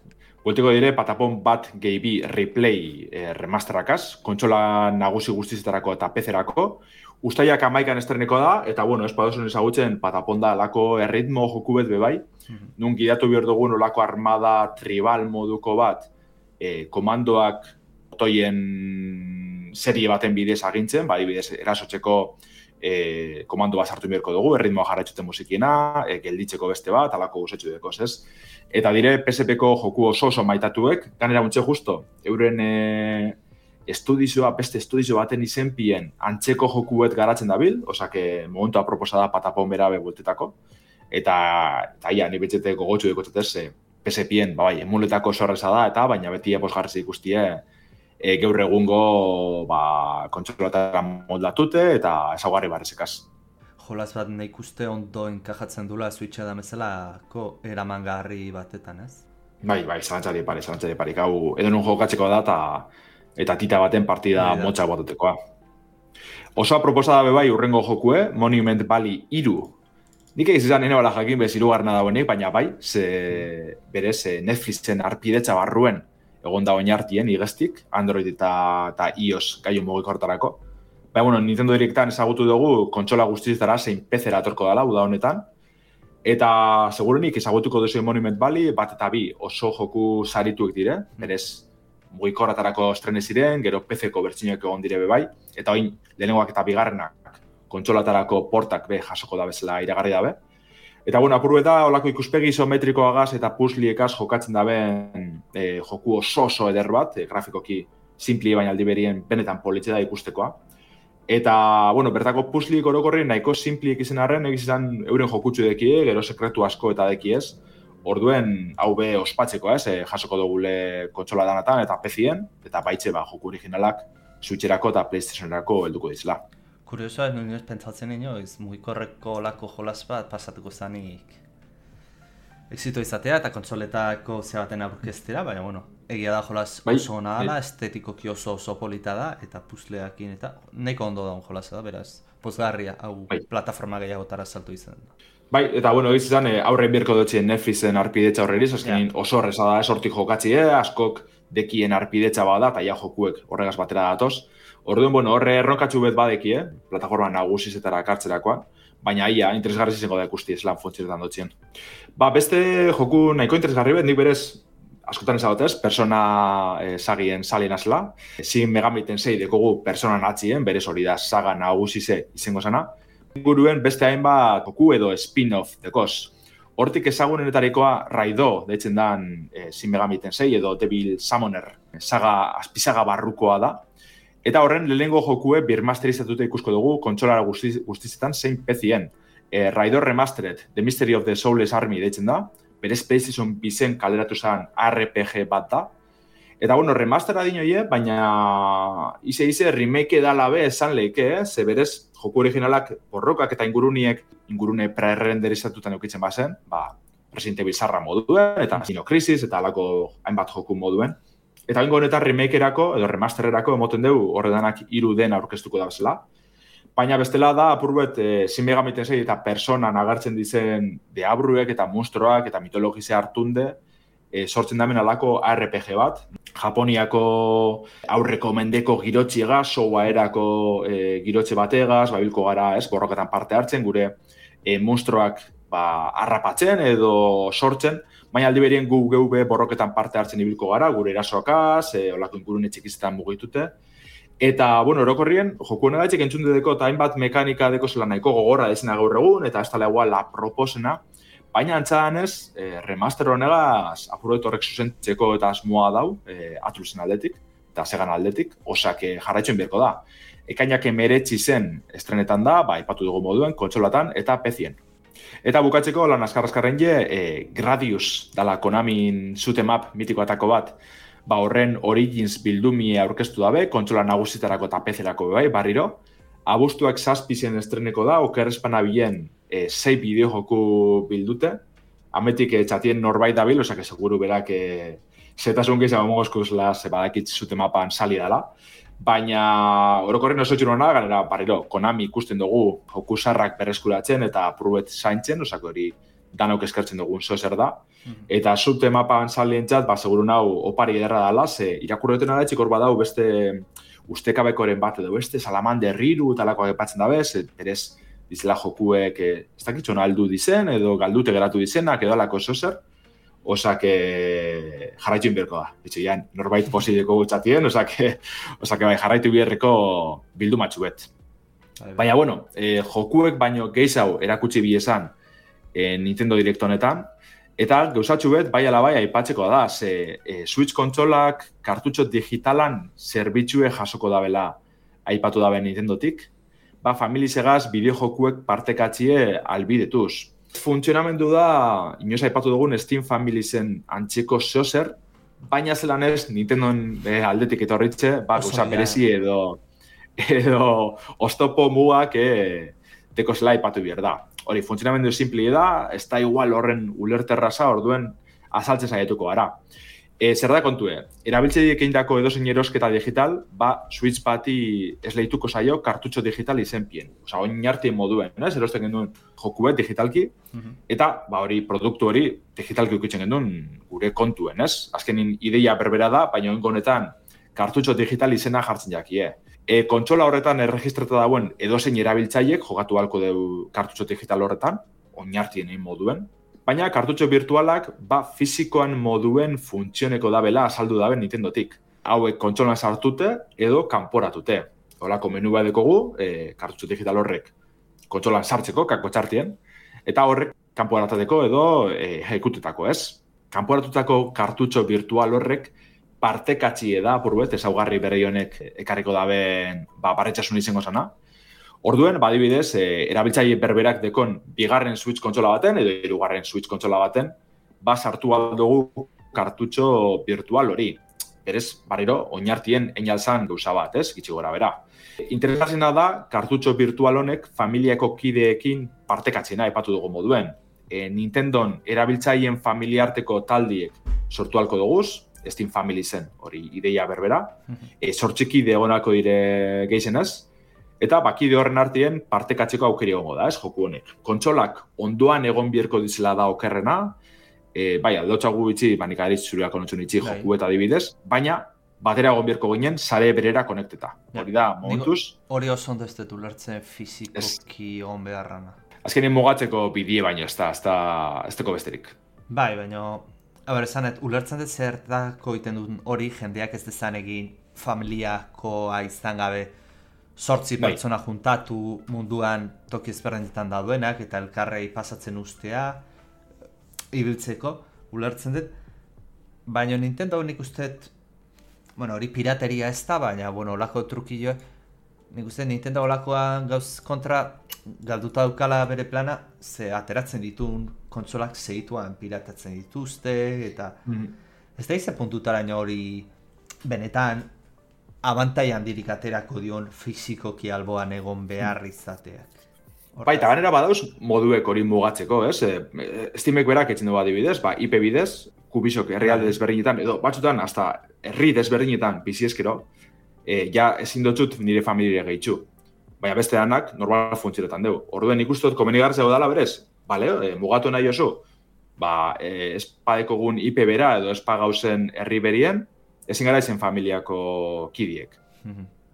Bueltiko dire, Patapon bat gehi bi replay remasterakaz, kontsola nagusi guztizetarako eta PC-erako, Uztaiak 11an estreneko da, eta ez baduzun ezagutzen Patapon da lako erritmo joku bet bai, nun gidatu behar dugun olako armada tribal moduko bat, komandoak botoien serie baten bidez agintzen, adibidez erasotzeko komando bat sartu beharko dugu, erritmoa jarraitzuten musikiena, gelditzeko beste bat, alako guzetxu dekoz, ez? Eta dire PSP-ko joku oso maitatuek, ganera untxe justo, euren beste estudizio baten izenpien antzeko jokuet garatzen dabil, osake momentu aproposa da Patapon berabe bueltetako, eta ia, ni betxete gogotxu dekotzatez, PSP-en, emuletako sorreza da, eta baina beti posgarriz ikustie gaur egungo kontsolatara moldatute eta ezaugarri barrezekaz. Jolaz bat nahi ikuste ondo enkajatzen dula Switcha da bezalako eramangarri batetan, ez? Bai, zalantzari pari. Hau, edo nun jokatzeko da eta tita baten partida motxa botatekoa. Oso aproposa da bai urrengo jokue, Monument Valley 3. Nik egizizan nene bala jakin bez irugarna dagoenik, baina ze berez Netflixen arpidetza barruen egon da oinartien igestik, Android eta iOS gaiu mugikortarako. Nintendo Directan ezagutu dugu kontsola guztizetara zein PC-era atorko dela, uda honetan. Eta segurenik ezagutuko duzu Monument Valley, bat eta bi oso joku sarituek dire, berez mugikorratarako estrene ziren, gero PC-ko bertxinak egon dire bai, eta oin lehenengoak eta bigarrenak kontsolatarako portak jasoko da bezala iragarri dabe. Eta apuru eta olako ikuspegi isometrikoagaz eta puzzliekaz jokatzen daben joku oso eder bat, grafikoki simpli baina aldi berien benetan politxe da ikustekoa. Eta, bertako puzzlik orokorri nahiko simpliek izan arren, egizan euren jokutsu dekie, gero sekretu asko eta dekiez, orduen hau ospatzeko jasoko dugule kontsola danatan eta PC-en, eta baitxe joku originalak Switcherako eta PlayStationerako helduko dizela. Kuriosoa, nioz pentsatzen inoiz, mugikorreko lako jolas bat pasatuko zanik exito izatea eta kontsoletako baten aurkeztera, baina egia da jolas oso ona dela, estetikoki oso polita da, eta puzzleakin eta nahiko ondo daun jolasa da, beraz, pozgarria, hau plataforma gehiagotara saltu izan. Eta egizizan aurrein birko dutxien Netflixen arpidetza horreriz, azkenin oso horreza da, hortik jokatzi, askok dekien arpidetza bada, eta jokuek horregaz batera datoz. Orduan, horre erronkatxu bet badeki, plataforma nagusizetara kartzerakoan, baina ia, interesgarri izango da ikusti lan funtzionetan dutxien. Beste joku nahiko interesgarri bet, nik berez, askotan ezagotez, persona sagien salien azela, Shin Megami Tensei dekogu persona natzien, berez hori da saga nagusize izango zana, guruen beste hainbat joku edo spin-off dekoz. Hortik ezagunenetarikoa Raido, deitzen dan Shin Megami Tensei edo Devil Summoner azpisaga barrukoa da. Eta horren lehenengo jokue birmasterizatuta ikusko dugu kontsolara guztizetan zein PC-en. Raido Remastered, The Mystery of the Soulless Army deitzen da, berez PlayStation bizen kaleratu zen RPG bat da. Eta remastera dinoie, baina ize remake dala be esan leike, ze berez joku originalak borrokak eta ingurune pre-renderizatutan eukitzen bazen, Resident Evil zarra moduen, eta Dino Crisis, eta alako hainbat joku moduen. Eta bingo honetan remakerako edo remastererako emoten dugu horredanak 3 den aurkeztuko da bezala. Baina bestela da, apurbet, Shin Megami Tensei eta personan agertzen dizen deabruek eta monstruoak eta mitologize hartunde, sortzen damen alako RPG bat. Japoniako aurreko mendeko girotxiegaz, soa erako girotxe bategaz, babilko gara, borroketan parte hartzen, gure monstruoak harrapatzen edo sortzen, baina aldi berien gu geube borroketan parte hartzen ibilko gara, gure erasoakaz, olako ingurune txikizetan mugitute. Eta, orokorrien, joku honegatik entzunde deko eta hainbat mekanika deko zela nahiko gogorra dezena gaur egun, eta ez tala igual la proposena, baina antzadanez, remaster honegaz apuroet horrek zuzentzeko eta asmoa dau, Atlusen aldetik, eta Segan aldetik, osak jarraitzen berko da. Ekainak emeretzi zen estrenetan da, ipatu dugu moduen, kontsolatan eta PC-en. Eta bukatzeko lan azkarren Gradius dala Konamin shoot-em-up mitikoatako bat, horren Origins bildumie aurkeztu dabe, kontsola nagusitarako eta PC-erako bai, barriro. Abuztuak 7 estreneko da, okerrezpana bilen 6 bideojoku bildute. Ametik txatien norbait dabil, osake seguru berak zetasun gehiago mogozkuzla badakit shoot-em-upan sali dela. Baina orokorren oso txurona, ganera barriro, Konami ikusten dugu jokusarrak berreskuratzen eta probet zaintzen, osako hori danok eskertzen dugun zozer da. Eta shoot-em-upan salientzat, seguru nau opari ederra dela, ze irakurreten da txikor badau beste ustekabekoren bat edo beste Salamander Riru talakoak epatzen dabe, berez dizela jokuek ez dakitxona aldu dizen edo galdute geratu dizenak edo alako zozer, jarraitu inberko da. Bitxean, norbait posideko gutxatien, bai jarraitu biherreko bildumatxu bet. Baina, bueno, jokuek baino gehiago erakutsi biesan Nintendo Direct honetan, eta gauzatxu bet, bai ala bai aipatzeko da, Switch kontsolak kartutxo digitalan zerbitzue jasoko dabela aipatu dabe Nintendotik, familizegaz bideojokuek partekatzie albidetuz. Funtzionamendu da, inoz aipatu dugun Steam Familiesen antxeko zozer, baina zelan ez Nintendon aldetik etorritze, gauza berezi edo oztopo mugak teko zela aipatu behar da. Hori, funtzionamendu simpli da, ez da igual horren ulerterraza orduen azaltzen saietuko gara. Zer da kontue, erabiltzaileek egindako edozein erosketa digital, Switch bati esleituko zaio kartutxo digital izenpien. Osa, oinartien moduen, erosten genduen jokubet digitalki, eta hori produktu hori digitalki ukitzen genduen gure kontuen, ez? Azkenin ideia berbera da, baina honetan kartutxo digital izena jartzen jakie. Kontsola horretan erregistrata dauen edozein erabiltzaileek jogatu halko du kartutxo digital horretan, oinartien egin moduen, baina kartutxo virtualak fizikoan moduen funtzioneko dabela azaldu dabe Nintendotik. Hauek kontsolan sartute edo kanporatute. Horako menu bat dekogu, kartutxo digital horrek kontsolan sartzeko, kako txartien, eta horrek kanporatateko edo ekutetako, ez? Kanporatutako kartutxo virtual horrek partekatxie da, purbet, ezaugarri berri honek ekarriko daben barretxasun izango zana. Orduen, badibidez, erabiltzaile berberak dekon bigarren Switch kontsola baten edo hirugarren Switch kontsola baten, sartu aldugu kartutxo virtual hori. Berez, barriro, oinartien einalzan gauza bat, ez? Gitxi gora bera. Interesatzena da, kartutxo virtual honek familiako kideekin partekatzena epatu dugu moduen. Nintendon erabiltzaileen familiarteko taldiek sortu halko duguz, Steam Family zen, hori ideia berbera. Sortxiki degonako dire geizenaz. Eta bakide horren artien partekatzeko aukeri egongo da, ez, joku honek. Kontsolak ondoan egon bierko dizela da okerrena, aldotxagu bitxi, nik aditz zuriak konotxun itxi joku eta adibidez, baina batera egon bierko ginen sare berera konekteta. Hori da, momentuz. Hori oso ondo ez dut ulertzen fizikoki on beharrana. Azkenin mugatzeko bidie baino, ez deko besterik. Bai, baina, esanet, ulertzen dut zertako iten duen hori jendeak ez dezan egin familiakoa izan gabe 8 pertsona juntatu munduan toki ezberdinetan daudenak eta elkarrei pasatzen ustea ibiltzeko, ulertzen dut. Baina Nintendo nik usteet, hori pirateria ez da, baina, olako trukillo, nik usteet Nintendo olakoan gauz kontra galduta daukala bere plana, ze ateratzen dituen kontsolak segituan piratatzen dituzte, eta ez da izan puntutaraino hori benetan abantai handirik aterako dion fizikoki alboan egon behar izateak. Baita, ganera badauz moduek hori mugatzeko, ez? Steamek berak etxen dugu adibidez, IP bidez, kubisok herrialde desberdinetan, edo batzutan, hasta herri desberdinetan biziezkero, ja ezin dutxut nire familia gehitxu. Baina beste danak, normal funtzionetan dugu. Orduen ikustot, komenigartzeko dala berez, mugatu nahi oso, espadekogun IP bera edo espagauzen herri berien, ezin gara izen familiako kidiek.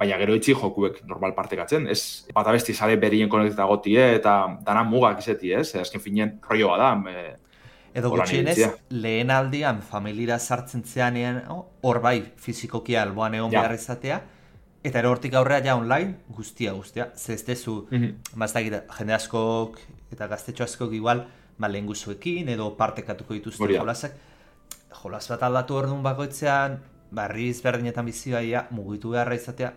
Baina gero itxi jokuek normal partekatzen, ez bat abesti sare berien konekteta gotie eta dana mugak izeti, ez? Azken finean rolloa da. Edo gutxienez, lehen aldian familira sartzen zeanean, hor bai fizikoki alboan egon behar izatea, eta ero hortik aurrea ja online guztia. Ze ez dezu, jende askok eta gaztetxo askok igual, lehen guzuekin edo partekatuko dituzte jolasak. Jolas bat aldatu hor duen bakoitzean, barri ezberdinetan bizioa mugitu beharra izatea,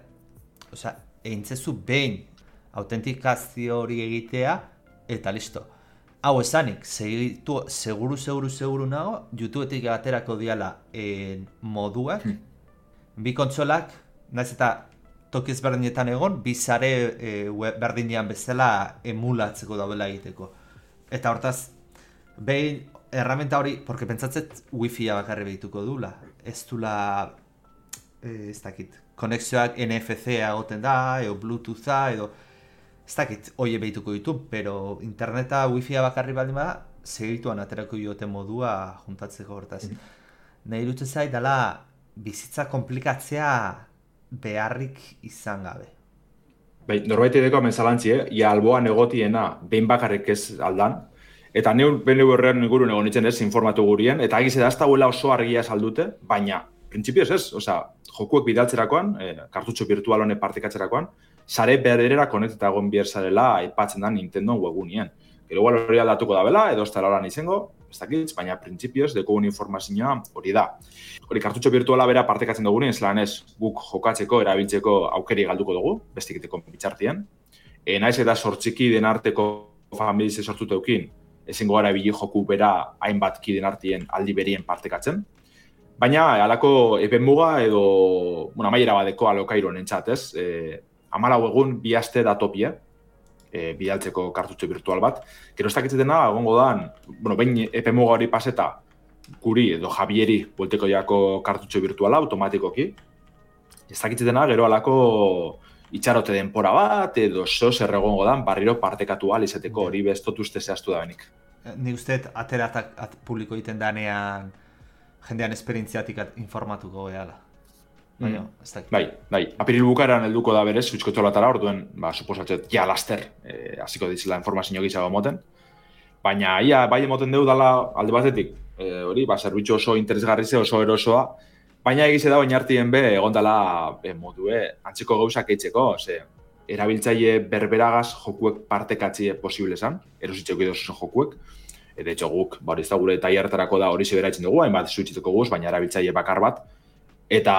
egintzezu behin autentikazio hori egitea, eta listo. hau esanik, seguru nago, YouTubeetik aterako diala moduak, bi kontsolak, naiz eta toki ezberdinetan egon, bi sare berdinean bezala emulatzeko daudela egiteko. Eta hortaz, behin erramenta hori, porque pentsatzet wifi-a bakarri behituko dula, ez dula, ez dakit, konexioak NFC-a egoten da, edo Bluetooth-a, edo, ez dakit, oie behituko ditu, pero interneta wifi-a bakarri baldin bada, segituan aterako diote modua juntatzeko hortaz. Nahi irutzen zait, dala, bizitza komplikatzea beharrik izan gabe. Bai, norbait edeko amenzalantzi, ia alboan egotiena, behin bakarrik ez aldan, eta neu horrean ingurun egon nintzen ez, informatu gurien, eta egiz da ez dauela oso argia saldute, baina, printzipioz ez, jokuek bidaltzerakoan, kartutxo virtual honek partekatzerakoan, sare berera konekteta egon behar zarela aipatzen da Nintendo webgunien. Gero igual hori aldatuko da bela, edo ez da horan izango, ez dakitz, baina printzipioz dekogun informazioa hori da. Hori kartutxo virtuala bera partekatzen dugunen, zelan ez guk jokatzeko, erabiltzeko aukeri galduko dugu, bestikiteko bitxartien. Naiz eta sortziki den arteko familize sortuteukin, ezingo gara bili joku bera hainbat kiden artien aldi berien partekatzen. Baina, halako epemuga edo, amaiera badeko alokairo nentzat, ez? 14 egun 2 aste da topia, bidaltzeko kartutxo virtual bat. Gero ez dakitzetena, egongo dan, behin epemuga hori paseta, guri edo Javieri buelteko jako kartutxo virtuala automatikoki. Ez dakitzetena, gero halako itxarote denpora bat, edo zer egongo dan, barriro partekatu izateko hori bestotu uste zehaztu da benik. Ni usteet ateratak publiko egiten danean jendean esperientziatik informatuko gehala. Baina, ez dakit. Bai, apiril bukaeran helduko da berez, suitzkotxolatara, orduen, suposatzet, ja laster, hasiko ditzela informazio gizago moten. Baina, ia, bai emoten dugu dala alde batetik, hori, zerbitzu oso interesgarri ze, oso erosoa, baina egize da oinartien be, egon dela modue, antzeko gauzak eitzeko, erabiltzaile berberagaz jokuek partekatzie posible zan, erositzeko edo jokuek. De hecho, guk, ez da gure tailertarako da hori zebera itzen dugu, hainbat suitzituko guz, baina erabiltzaile bakar bat. Eta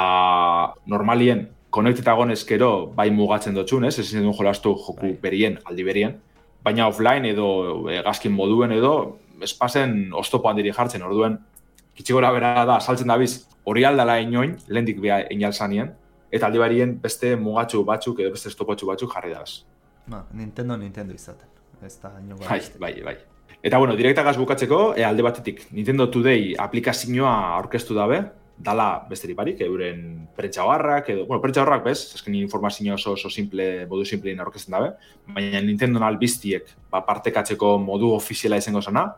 normalien, konekteta gonezkero, bai mugatzen dutxun, ez duen jolastu joku berien, aldi berien. Baina offline edo gazkin moduen edo, espazen oztopo handiri jartzen, orduen, kitxigora bera da, saltzen dabiz, hori aldala inoin, lehendik beha inalzanien, eta aldi berien beste mugatxu batzuk edo beste estopotxu batzuk jarri dabaz. Nintendo izaten, ez da ino Bai. Eta direktagaz bukatzeko, alde batetik, Nintendo Today aplikazioa aurkeztu dabe, dala besterik barik, euren prentxabarrak, prentxabarrak bez, azken informazio oso simple, modu simplein aurkezten dabe, baina Nintendo albiztiek partekatzeko modu ofiziala izango zena,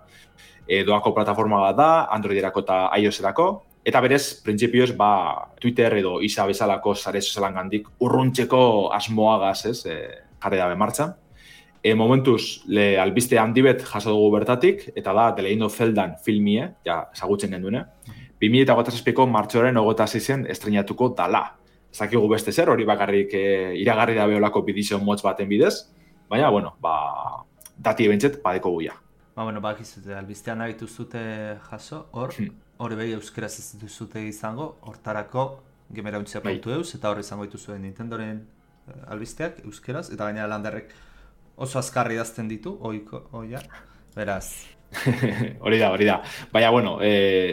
doako plataforma bat da, Androiderako eta iOS-erako, eta berez, printzipioz, Twitter edo isa bezalako sare sozialangandik urruntzeko asmoagaz, jarri dabe martxan. Momentuz, albiste handi bet jaso dugu bertatik, eta da The Legend of Zeldan filmie, ezagutzen genduene. 2008ko martxoaren 26en estrenatuko dala. Ez dakigu beste zer, hori bakarrik iragarri da beholako bidizio motz baten bidez, baina, dati ebentzet badeko guia. Bakizute, albistean nahi duzute jaso, hori behi euskeraz ez duzute izango, hortarako gemerauntzia.eus, eta hori izango dituzuen Nintendoren albisteak euskeraz, eta gainera landerrek oso azkarri idazten ditu, oia, beraz. Hori da. Baina,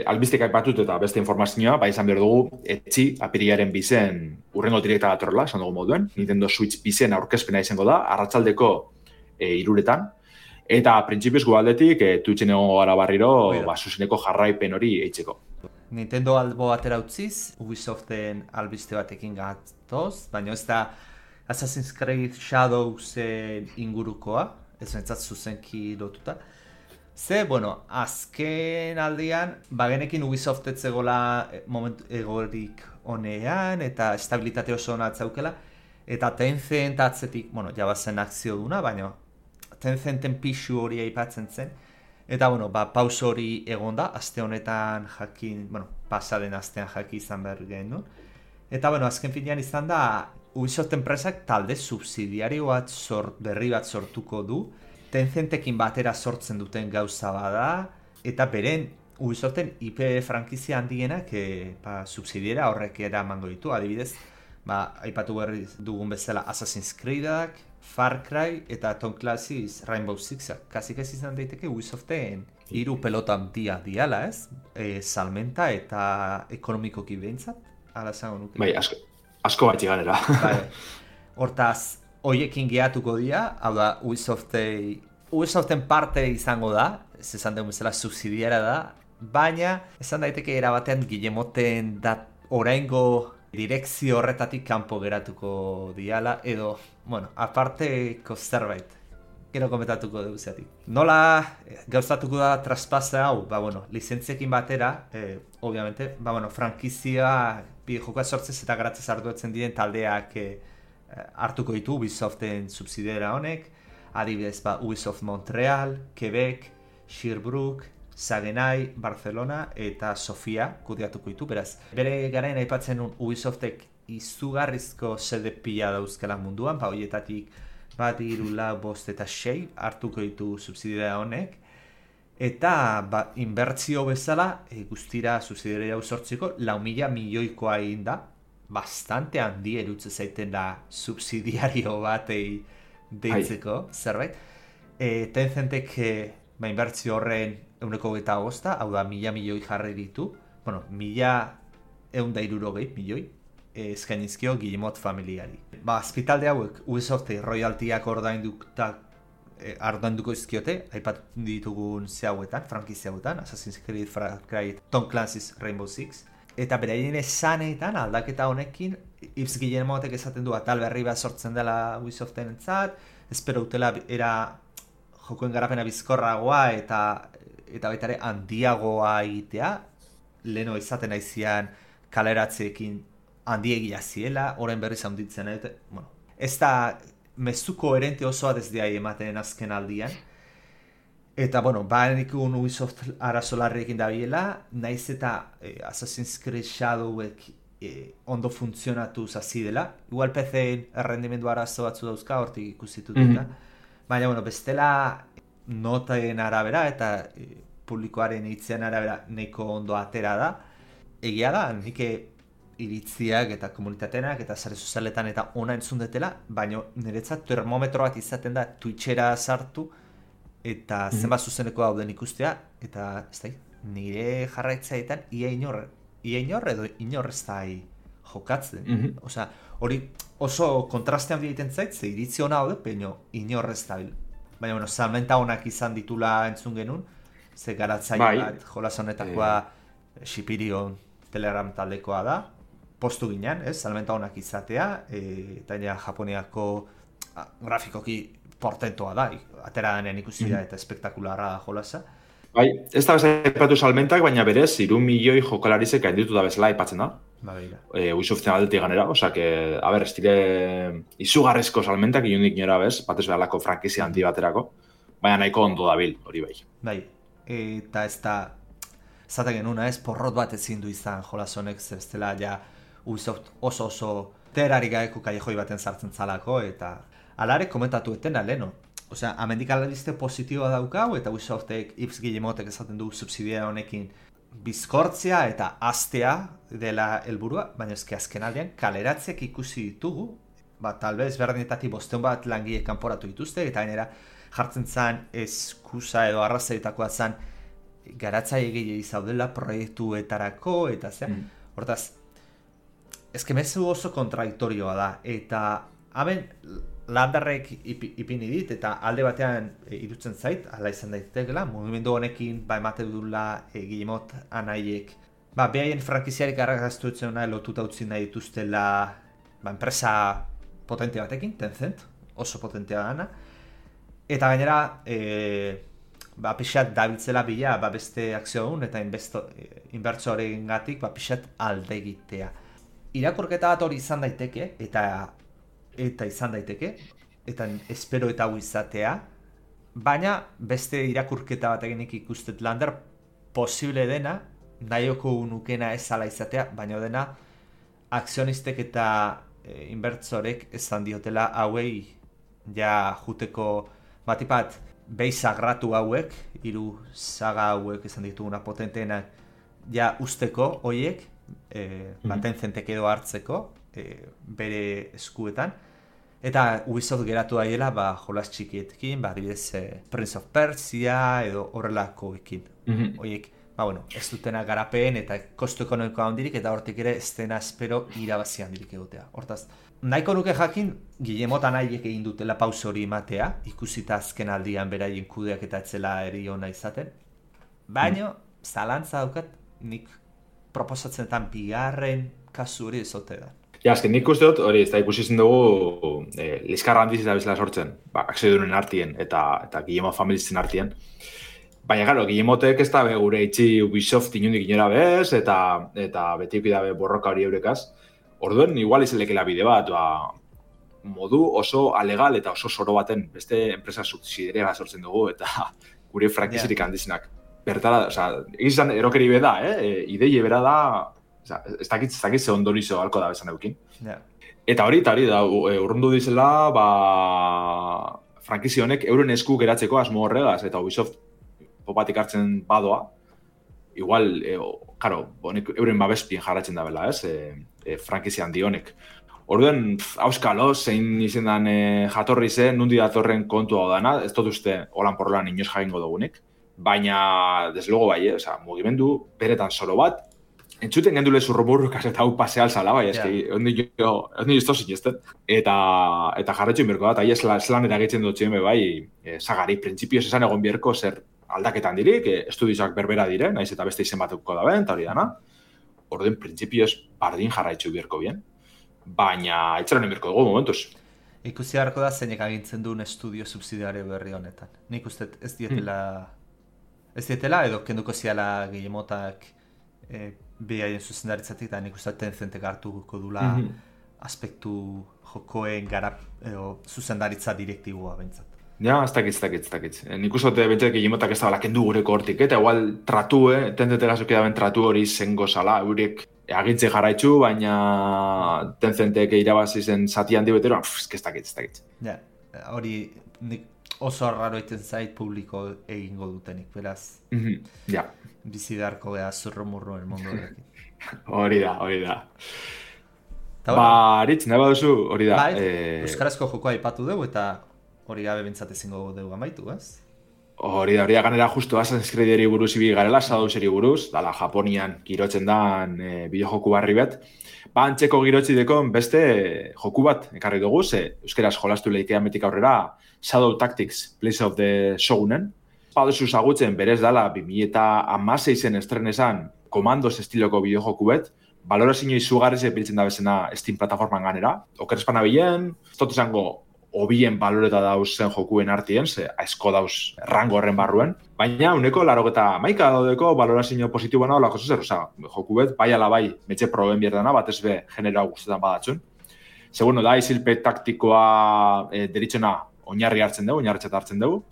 albistek aipatut eta beste informazioa, izan behar dugu, etxi, apirilaren bizen urrengo direkta datorrela, esan dugu moduen, Nintendo Switch bizen aurkezpena izango da, arratsaldeko 3:00, eta printzipioz gualdetik, Twitchen egongo gara barriro, zuzeneko jarraipen hori eitzeko. Nintendo albo atera utziz, Ubisoften albiste batekin gatoz, baina ez da Assassin's Creed Shadowsen ingurukoa, ez bentsat zuzenki lotuta. Azken aldean, bagenekin Ubisoft etzegola momentu egorik honean, eta estabilitate oso hona atzaukela, eta Tencent atzetik, jabazen akzio duna, baina Tencenten pixu hori aipatzen zen, eta pauso hori egonda, aste honetan jakin, pasaden astean jaki izan behar genuen, eta azken finean izan da, Ubisoft enpresak talde subsidiario bat berri bat sortuko du, Tencentekin batera sortzen duten gauza bada, eta beren Ubisoften IP frankizia handienak subsidiera horrek eramango ditu, adibidez, aipatu berri dugun bezala Assassin's Creedak, Far Cry eta Tom Clancy's Rainbow Six. Kasik ez izan daiteke Ubisoften hiru pelota handia diala, ez? Salmenta eta ekonomikoki behintzat, ala zango nuke. Bai, asko batxi ganera. Bai. Hortaz, hoiekin gehatuko dira, hau da, Ubisoften parte izango da, ez esan dugu bezala subsidiara da, baina esan daiteke erabatean Guillemoten oraingo direkzio horretatik kanpo geratuko diala, edo, bueno, aparteko zerbait, gero komentatuko dugu zeatik. Nola gauzatuko da traspase hau, lizentziekin batera, obviamente, frankizia bideojokoa sortzez eta garatzez arduetzen diren taldeak hartuko ditu Ubisoften subsidiera honek, adibidez, Ubisoft Montreal, Quebec, Sherbrooke, Sagenai, Barcelona eta Sofia kudeatuko ditu, beraz. Bere garaien aipatzen Ubisoftek izugarrizko sede pila dauzkela munduan, horietatik 1, 3, 4, 5 eta 6 hartuko ditu subsidiaria honek, eta inbertzio bezala guztira subsidiaria hau sortzeko 4.000 milioikoa egin da, bastante handi erutze zaiten da subsidiario batei deitzeko zerbait. Tencentek inbertzio horren 125, hau da 1.000 milioi jarri ditu, 1.160 milioi eskainizkio Guillemot familiari. Azpitalde hauek Ubisofte royaltiak ordainduko izkiote, aipatu ditugun hauetan, frankizia hauetan, Assassin's Creed, Far Cry, Tom Clancy's Rainbow Six, eta beraien esanetan aldaketa honekin Yves Guillemotek esaten du atal berri bat sortzen dela Ubisoften entzat, espero utela jokoen garapena bizkorragoa eta baita ere handiagoa egitea, leheno izaten aizian kaleratzeekin handiegia ziela, orain berriz handitzen, ez da mezuko koherente osoa desde ematen azken aldian, eta, banikun Ubisoft arazolarriekin dabiela, naiz eta Assassin's Creed Shadowek ondo funtzionatu zazi dela, igual PC-en errendimendu arazo batzu dauzka, hortik ikusitut eta, baina, bestela notaen arabera eta publikoaren iritzian arabera nahiko ondo atera da. Egia da, nik iritziak eta komunitatenak eta sare sozialetan eta ona entzun detela, baina niretzat termometro bat izaten da Twitchera sartu eta zenbat zuzeneko dauden ikustea, eta ez da, nire jarraitzaetan ia inor edo inor ez da jokatzen. Osea, hori oso kontrastean egiten zait, ze iritzi hona haude, baina inor ez da. Baina, salmenta honak izan ditula entzun genuen, ze garatzaile bat jolas honetakoa Shipirion Telegram taldekoa da, postu ginen, salmenta honak izatea, eta Japoniako grafikoki portentoa da, atera denen ikusi da eta espektakularra da jolasa. Bai, ez da bezala salmentak, baina berez, 3 milioi jokalarizek gainditu da bezala aipatzen da. Ubisoften aldetik ganera, oza, ez dire izugarrezko salmentak, iundik nora bez, batez behalako frankizia handi baterako, baina nahiko ondo dabil, hori bai. Bai, eta ez da, zaten genuna ez, porrot bat ezin du izan jolas honek, zebestela ja Ubisoft oso terari gaeko kallejoi baten sartzen zalako, eta alare komentatu etena, leheno. Osea, amendik alabizte positiboa daukau, eta Ubisoftek, Yves Guillemotek esaten du subsidia honekin bizkortzea eta astea dela helburua, baina eski azken aldean kaleratzeak ikusi ditugu, talbez berdinetatik 500 bat langile kanporatu dituzte, eta gainera jartzen zen eskusa edo arrazoitakoa zen garatzaile gehiago zaudela proiektuetarako, eta hortaz, eski mezu oso kontradiktorioa da, eta hemen landarrek ipini dit, eta alde batean irutzen zait, ala izan daitekela, mugimendu honekin emate dula Guillemot anaiek, behaien frankiziarik arrakaztu dutzen nahi lotuta utzi nahi dituztela enpresa potente batekin, Tencent, oso potentea dana, eta gainera pixat dabiltzela bila beste akzio hon eta inbertso horrekin gatik pixat alde egitea. Irakurketa bat hori izan daiteke, eta izan daiteke, eta espero eta hau izatea, baina beste irakurketa bat eginik ikustet lander posible dena, nahioko nukena ez ala izatea, baina dena akzionistek eta inbertzorek esan diotela hauei ja juteko batipat behi sagratu hauek, 3 saga hauek esan dituguna potenteena ja usteko hoiek, Tencentek edo hartzeko bere eskuetan, Eta Ubisoft geratu daiela, jolas txikietekin, adibidez Prince of Persia edo horrelakoekin. Oiek, ez dutena garapen eta kostu ekonomikoa handirik, eta hortik ere ez dena espero irabazi handirik egotea. Hortaz, nahiko nuke jakin, Guillemota nahiek egin dutela pauso hori ematea, ikusita azken aldian beraien kudeak eta etzela eri ona izaten. Baina, zalantza daukat, nik proposatzenetan bigarren kasu hori ezote da. Ja, azken nik uste dut, hori, ez da ikusi zen dugu liskarra handiz eta bezala sortzen, akziodunen artien eta Guillemot familisten artien. Baina, gero, Guillemotek ez da gure itxi Ubisoft inundik inora bez, eta betiuk dabe borroka hori eurekaz. Orduen, igual izelekela bide bat, modu oso alegal eta oso soro baten beste enpresa subsidiaria sortzen dugu, eta gure frankizirik handizenak. Bertara, egizan erokeri beda, ideie bera da, ez dakit ze ondorizo halko da bezan eukin. Eta hori da, urrundu dizela, frankizi honek euren esku geratzeko asmo horregaz, eta Ubisoft popatik hartzen badoa, igual, euren babespien jarratzen da bela, frankizi handi honek. Orduen, auskalo, zein izendan jatorri zen, nundi datorren kontu hau dana, ez dut uste holan porrolan inoz jagingo dugunik, baina, deslogo bai, mugimendu beretan solo bat, entzuten gendule zurrumurrukaz eta hau paseal zala, bai, eski, ondi izto zinezten. Eta jarretxo inberko da, eta zelan eragitzen dut ziren, bai, zagari, printzipioz esan egon bierko zer aldaketan dirik, estudioak berbera dire, naiz eta beste izen batuko da ben, eta hori dana. Orduen, printzipioz bardin jarraitxo bierko bien, baina etxeran inberko dugu momentuz. Ikusi beharko da zeinek agintzen duen estudio subsidiario berri honetan. Nik uste ez dietela edo kenduko ziala Guillemotak bihaien zuzendaritzatik, eta nik uste Tencentek hartuko dula aspektu jokoen zuzendaritza direktiboa bentsat. Ja, ez dakit. Nik uste bentsat Guillemotak ez da kendu gureko hortik, eta igual Tencentek azuk edaben tratu hori zengo zala, eurek agintze jarraitzu, baina Tencentek irabazi zen zati handi betero, ez dakit. Ja, hori oso raro egiten zait publiko egingo dutenik, beraz. Ja. Bizi beharko beha zurromurroen mundu horrekin. Hori da. Aritz, nahi baduzu, hori da. Euskarazko jokoa aipatu dugu, eta hori gabe bintzat ezingo dugu amaitu, ez? Hori da, ganera justu Assassin's Creederi buruz ibi garela, Shadowseri buruz, dala Japonian girotzen dan bideojoku barri bet. Antzeko girotzideko beste joku bat ekarri dugu, euskaraz jolastu lehikea metik aurrera Shadow Tactics, Place of the Shogunen. Baduzu zagutzen berez dala 2016 estrenesan Komandos estiloko bideojoku bet, balorazio izugarriz epiltzen da bezena Steam plataforman ganera. Oker espana bilen, ez dut izango obien baloreta dauz zen jokuen artien, aizko dauz rango horren barruen. Baina, uneko 91 daudeko balorazio positiboa olako zer, joku bet, bai ala bai, metxe proben bierdana, batez be generoa guztetan badatzun. Segundo, da, izilpe taktikoa deritzena oinarri hartzen dugu,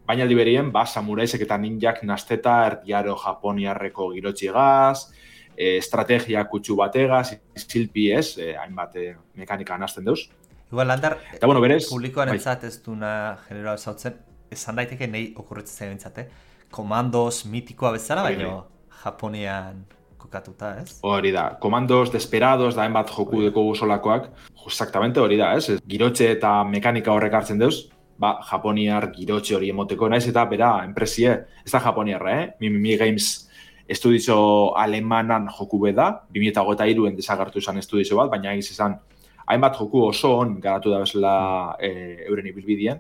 baina aldi berien, samuraisek eta ninjak nasteta erdiaro japoniarreko girotxiegaz, estrategia kutsu bategaz, izilpi ez, hainbat mekanika nazten deuz. Igual, Landar, eta, berez, publikoan entzat ez duna generoa ezautzen, esan daiteke nahi okurretzen zain Komandos mitikoa bezala, baina Japonian kokatuta, ez? Hori da, Komandos Desperados da hainbat joku deko solakoak, exactamente hori da, ez? Girotxe eta mekanika horrek hartzen deuz, Japoniar girotxe hori emoteko naiz, eta bera, enpresie, ez da Japoniarra, Mimimi Games estudizo alemanan joku beda, 2023en desagertu izan estudizo bat, baina egiz izan hainbat joku oso on garatu da bezala euren ibilbidien.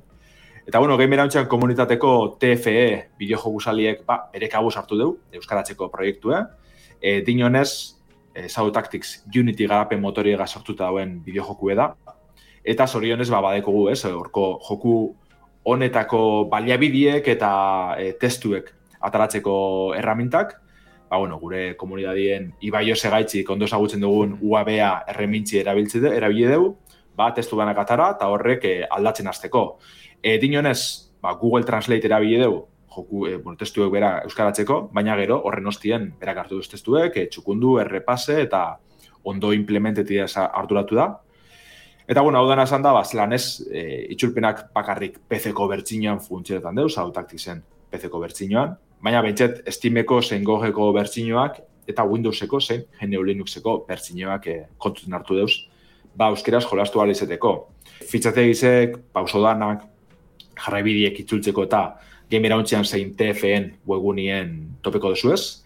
Eta, Gamer Hauntxan komunitateko TFE bideojoku saliek bere kabuz hartu dugu, euskaratzeko proiektue. Dinonez, Shadow Tactics Unity garapen motoriega sortuta dauen bideojoku da. Eta zorionez, badekogu, horko joku honetako baliabidiek eta testuek ataratzeko erramintak. Gure komunidadien Ibai Segaitzik ondo ezagutzen dugun UABA erremintzi erabili dugu, testu banak atara eta horrek aldatzen hasteko. Dinonez, Google Translate erabili dugu, testuek bera euskaratzeko, baina gero horren ostien berak hartu duz testuek, txukundu, errepase eta ondo implementetia arduratu da. Eta, hau dena esan da, zelanez, itxulpenak bakarrik PC-ko bertxinoan funtzionetan deuz, Shadow Tacticsen PC-ko bertxinoan, baina bentset Steameko zein GOG-eko bertxinoak eta Windowseko zein GNU Linuxeko bertxinoak kontuten hartu deuz euskeraz jolastu ahal izeteko. Fitxategizek, pausodanak, jarraibideek itzultzeko eta Game Irauntzian zein TFN webgunien topeko duzuez.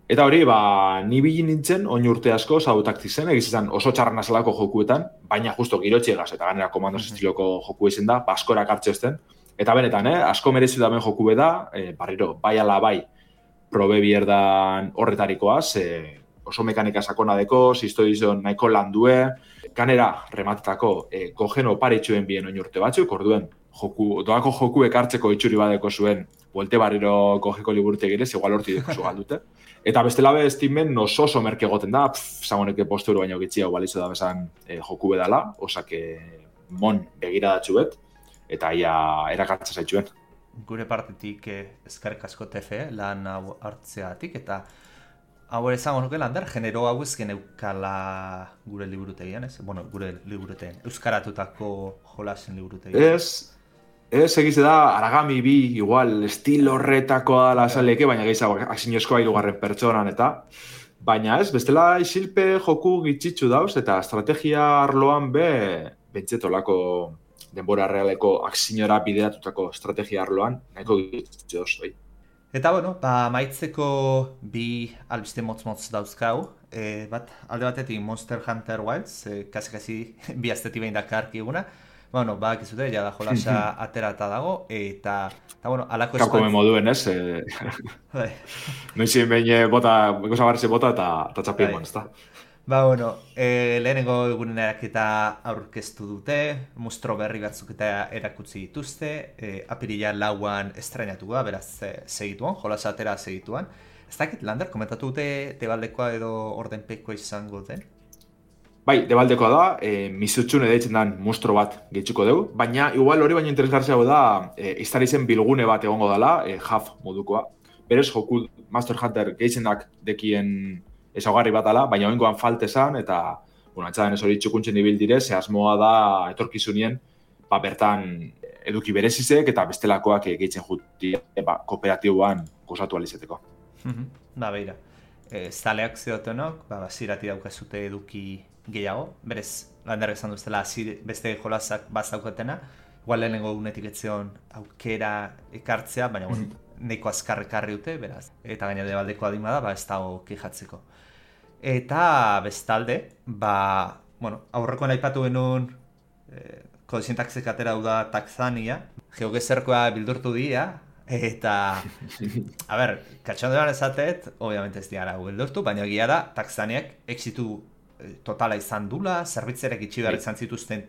Eta hori, ni bilin nintzen, oin urte asko, zautaktik zen, egizizan oso txarran azalako jokuetan, baina justo girotxiegaz eta ganera komandos estiloko joku izan da, askorak hartxezten. Eta benetan, asko merezu da ben joku beda, barriro, bai ala bai, probe bierdan horretarikoaz, oso mekanika sakona deko, historizon nahiko landue, ganera rematetako kogeno paritxuen bien oin urte batzuk, orduen doako jokuek hartzeko itxuri badeko zuen, buelte barriro kogeko liburutegirez, igual horti deko zu galdute. Eta bestela be estimen oso merke egoten da, zagoneke posturu baino gitxia balitzu da bezan joku bedala, osake mon begiradatxu bet, eta ia erakartza zaitxuen. Gure partetik eskerrik asko TF, lan hau hartzeatik, eta hau ere zango nuke Lander, genero hau ezken eukala gure liburutegian, ez? Bueno, gure liburutegian, euskaratutako jolasen liburutegian. Ez egize da, Aragami bi, igual, estilo horretakoa dala azaleke, baina gehiago asinozkoa hirugarren pertsonan eta. Baina ez, bestela isilpe joku gitxitzu dauz, eta estrategia arloan bentzetolako denbora realeko aksinora bideratutako estrategia arloan, nahiko gitxitzu dauz, bai. Eta bueno, maitzeko bi albiste motz-motz dauzkau, bat alde batetik Monster Hunter Wilds, kasi bi azteti behin dakarki eguna, bueno, bakizute, jada jolasa aterata dago, eta bueno, alako eskuan... Kapkome moduen, ez? Noizien behin goza barrize bota eta txapien ez da. Bueno, lehenengo egunen eraketa aurkeztu dute, mustro berri batzuk eta erakutsi dituzte, apirila lauan estrenatu da, beraz segituan, jolasa atera segituan. Ez dakit, Lander, komentatu dute debaldekoa edo ordenpekoa izango den? Bai, debaldekoa da, mizutxune deitzen den mustro bat gehitzuko dugu, baina igual hori baino interesgartzeago da, iztarizen bilgune bat egongo dela, HUF modukoa. Berez, joku Master Hunter gehitzenak dekien ezaugarri bat dela, baina oingoan faltezan, eta, atxadan ez hori txukuntzen ibil dire, ze asmoa da etorkizunien, bertan eduki berezizek eta bestelakoak gehitzen juti kooperatiboan gozatu alizeteko. Beira, zaleak ziotenok, zirati daukazute eduki gehiago, berez, Lander esan duztela, beste jolazak bazaukatena, igual lehenengo unetik etzion aukera ekartzea, baina neko azkarrekarri dute, beraz. Eta gaina debaldeko adima da, ez dago kejatzeko. Eta bestalde, aurrekoan aipatu genuen kodesintaxek atera da Taxania, geogezerkoa bildurtu dira, eta, katxondoan esatet, obviamente ez diara bildurtu, baina egia da, Taxaniak exitu totala izan dula, zerbitzerek itxi behar izan zituzten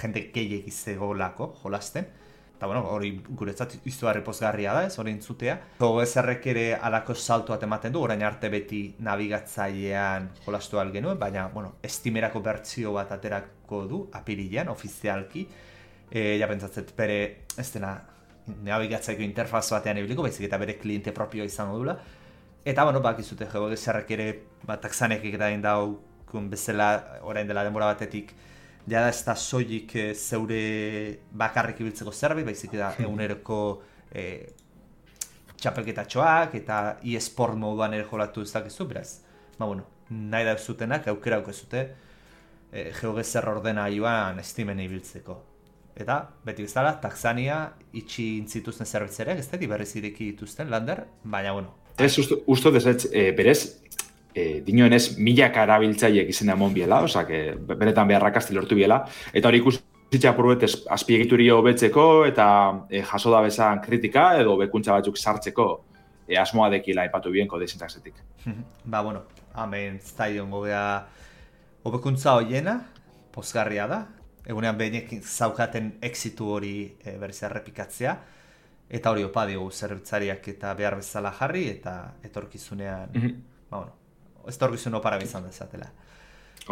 jende gehiek izegolako jolasten. Eta hori guretzat izugarri pozgarria da, ez hori entzutea. Gogezerrek ere alako saltu bat ematen du, orain arte beti nabigatzailean jolastu ahal genuen, baina estimerako bertsio bat aterako du, apirilean, ofizialki. Ja pentsatzet bere, ez dena, nabigatzaiko interfaz batean ebiliko, baizik eta bere kliente propioa izango dula. Eta, bakizute, gogezerrek ere, Taxanek egiten daukun bezala, orain dela denbora batetik, jada ez da soilik zeure bakarrik ibiltzeko zerbait, baizik da eguneroko txapelketatxoak eta e-sport moduan ere jolatu ez dakizu, beraz. Nahi da zutenak, aukera aukezute geogezer ordena joan estimen ibiltzeko. Eta, beti bezala, Taxania itxi intzituzten zerbitzerek, ez da, berriz ireki dituzten, Lander, baina, Ez, usto desetz, berez, dinoen ez milak arabiltzaiek izena emon biela, osak, benetan beharrakazti lortu biela, eta hori ikusitza apurbet azpiegiturio hobetzeko eta jaso da bezan kritika edo bekuntza batzuk sartzeko asmoa dekila aipatu bien kodesintaxetik. Hemen zaion gobea hobekuntza horiena, pozgarria da, egunean behinek zaukaten exitu hori berriz errepikatzea, eta hori opa diogu zerbitzariak eta behar bezala jarri, eta etorkizunean, etorkizun opara bizan dezatela.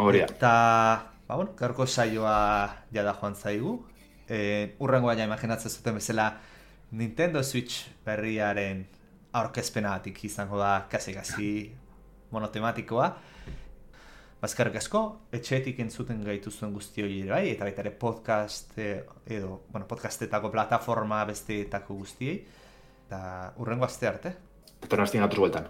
Horia. Eta, gaurko saioa jada joan zaigu. Urrengo baina imaginatzen zuten bezala Nintendo Switch berriaren aurkezpenatik izango da kasi monotematikoa. Bazkarrik asko, etxeetik entzuten gaituzuen guzti hori bai, eta baita ere podcast podcastetako plataforma besteetako guztiei. Eta urrengo aste arte. Eta nastien atuz bueltan.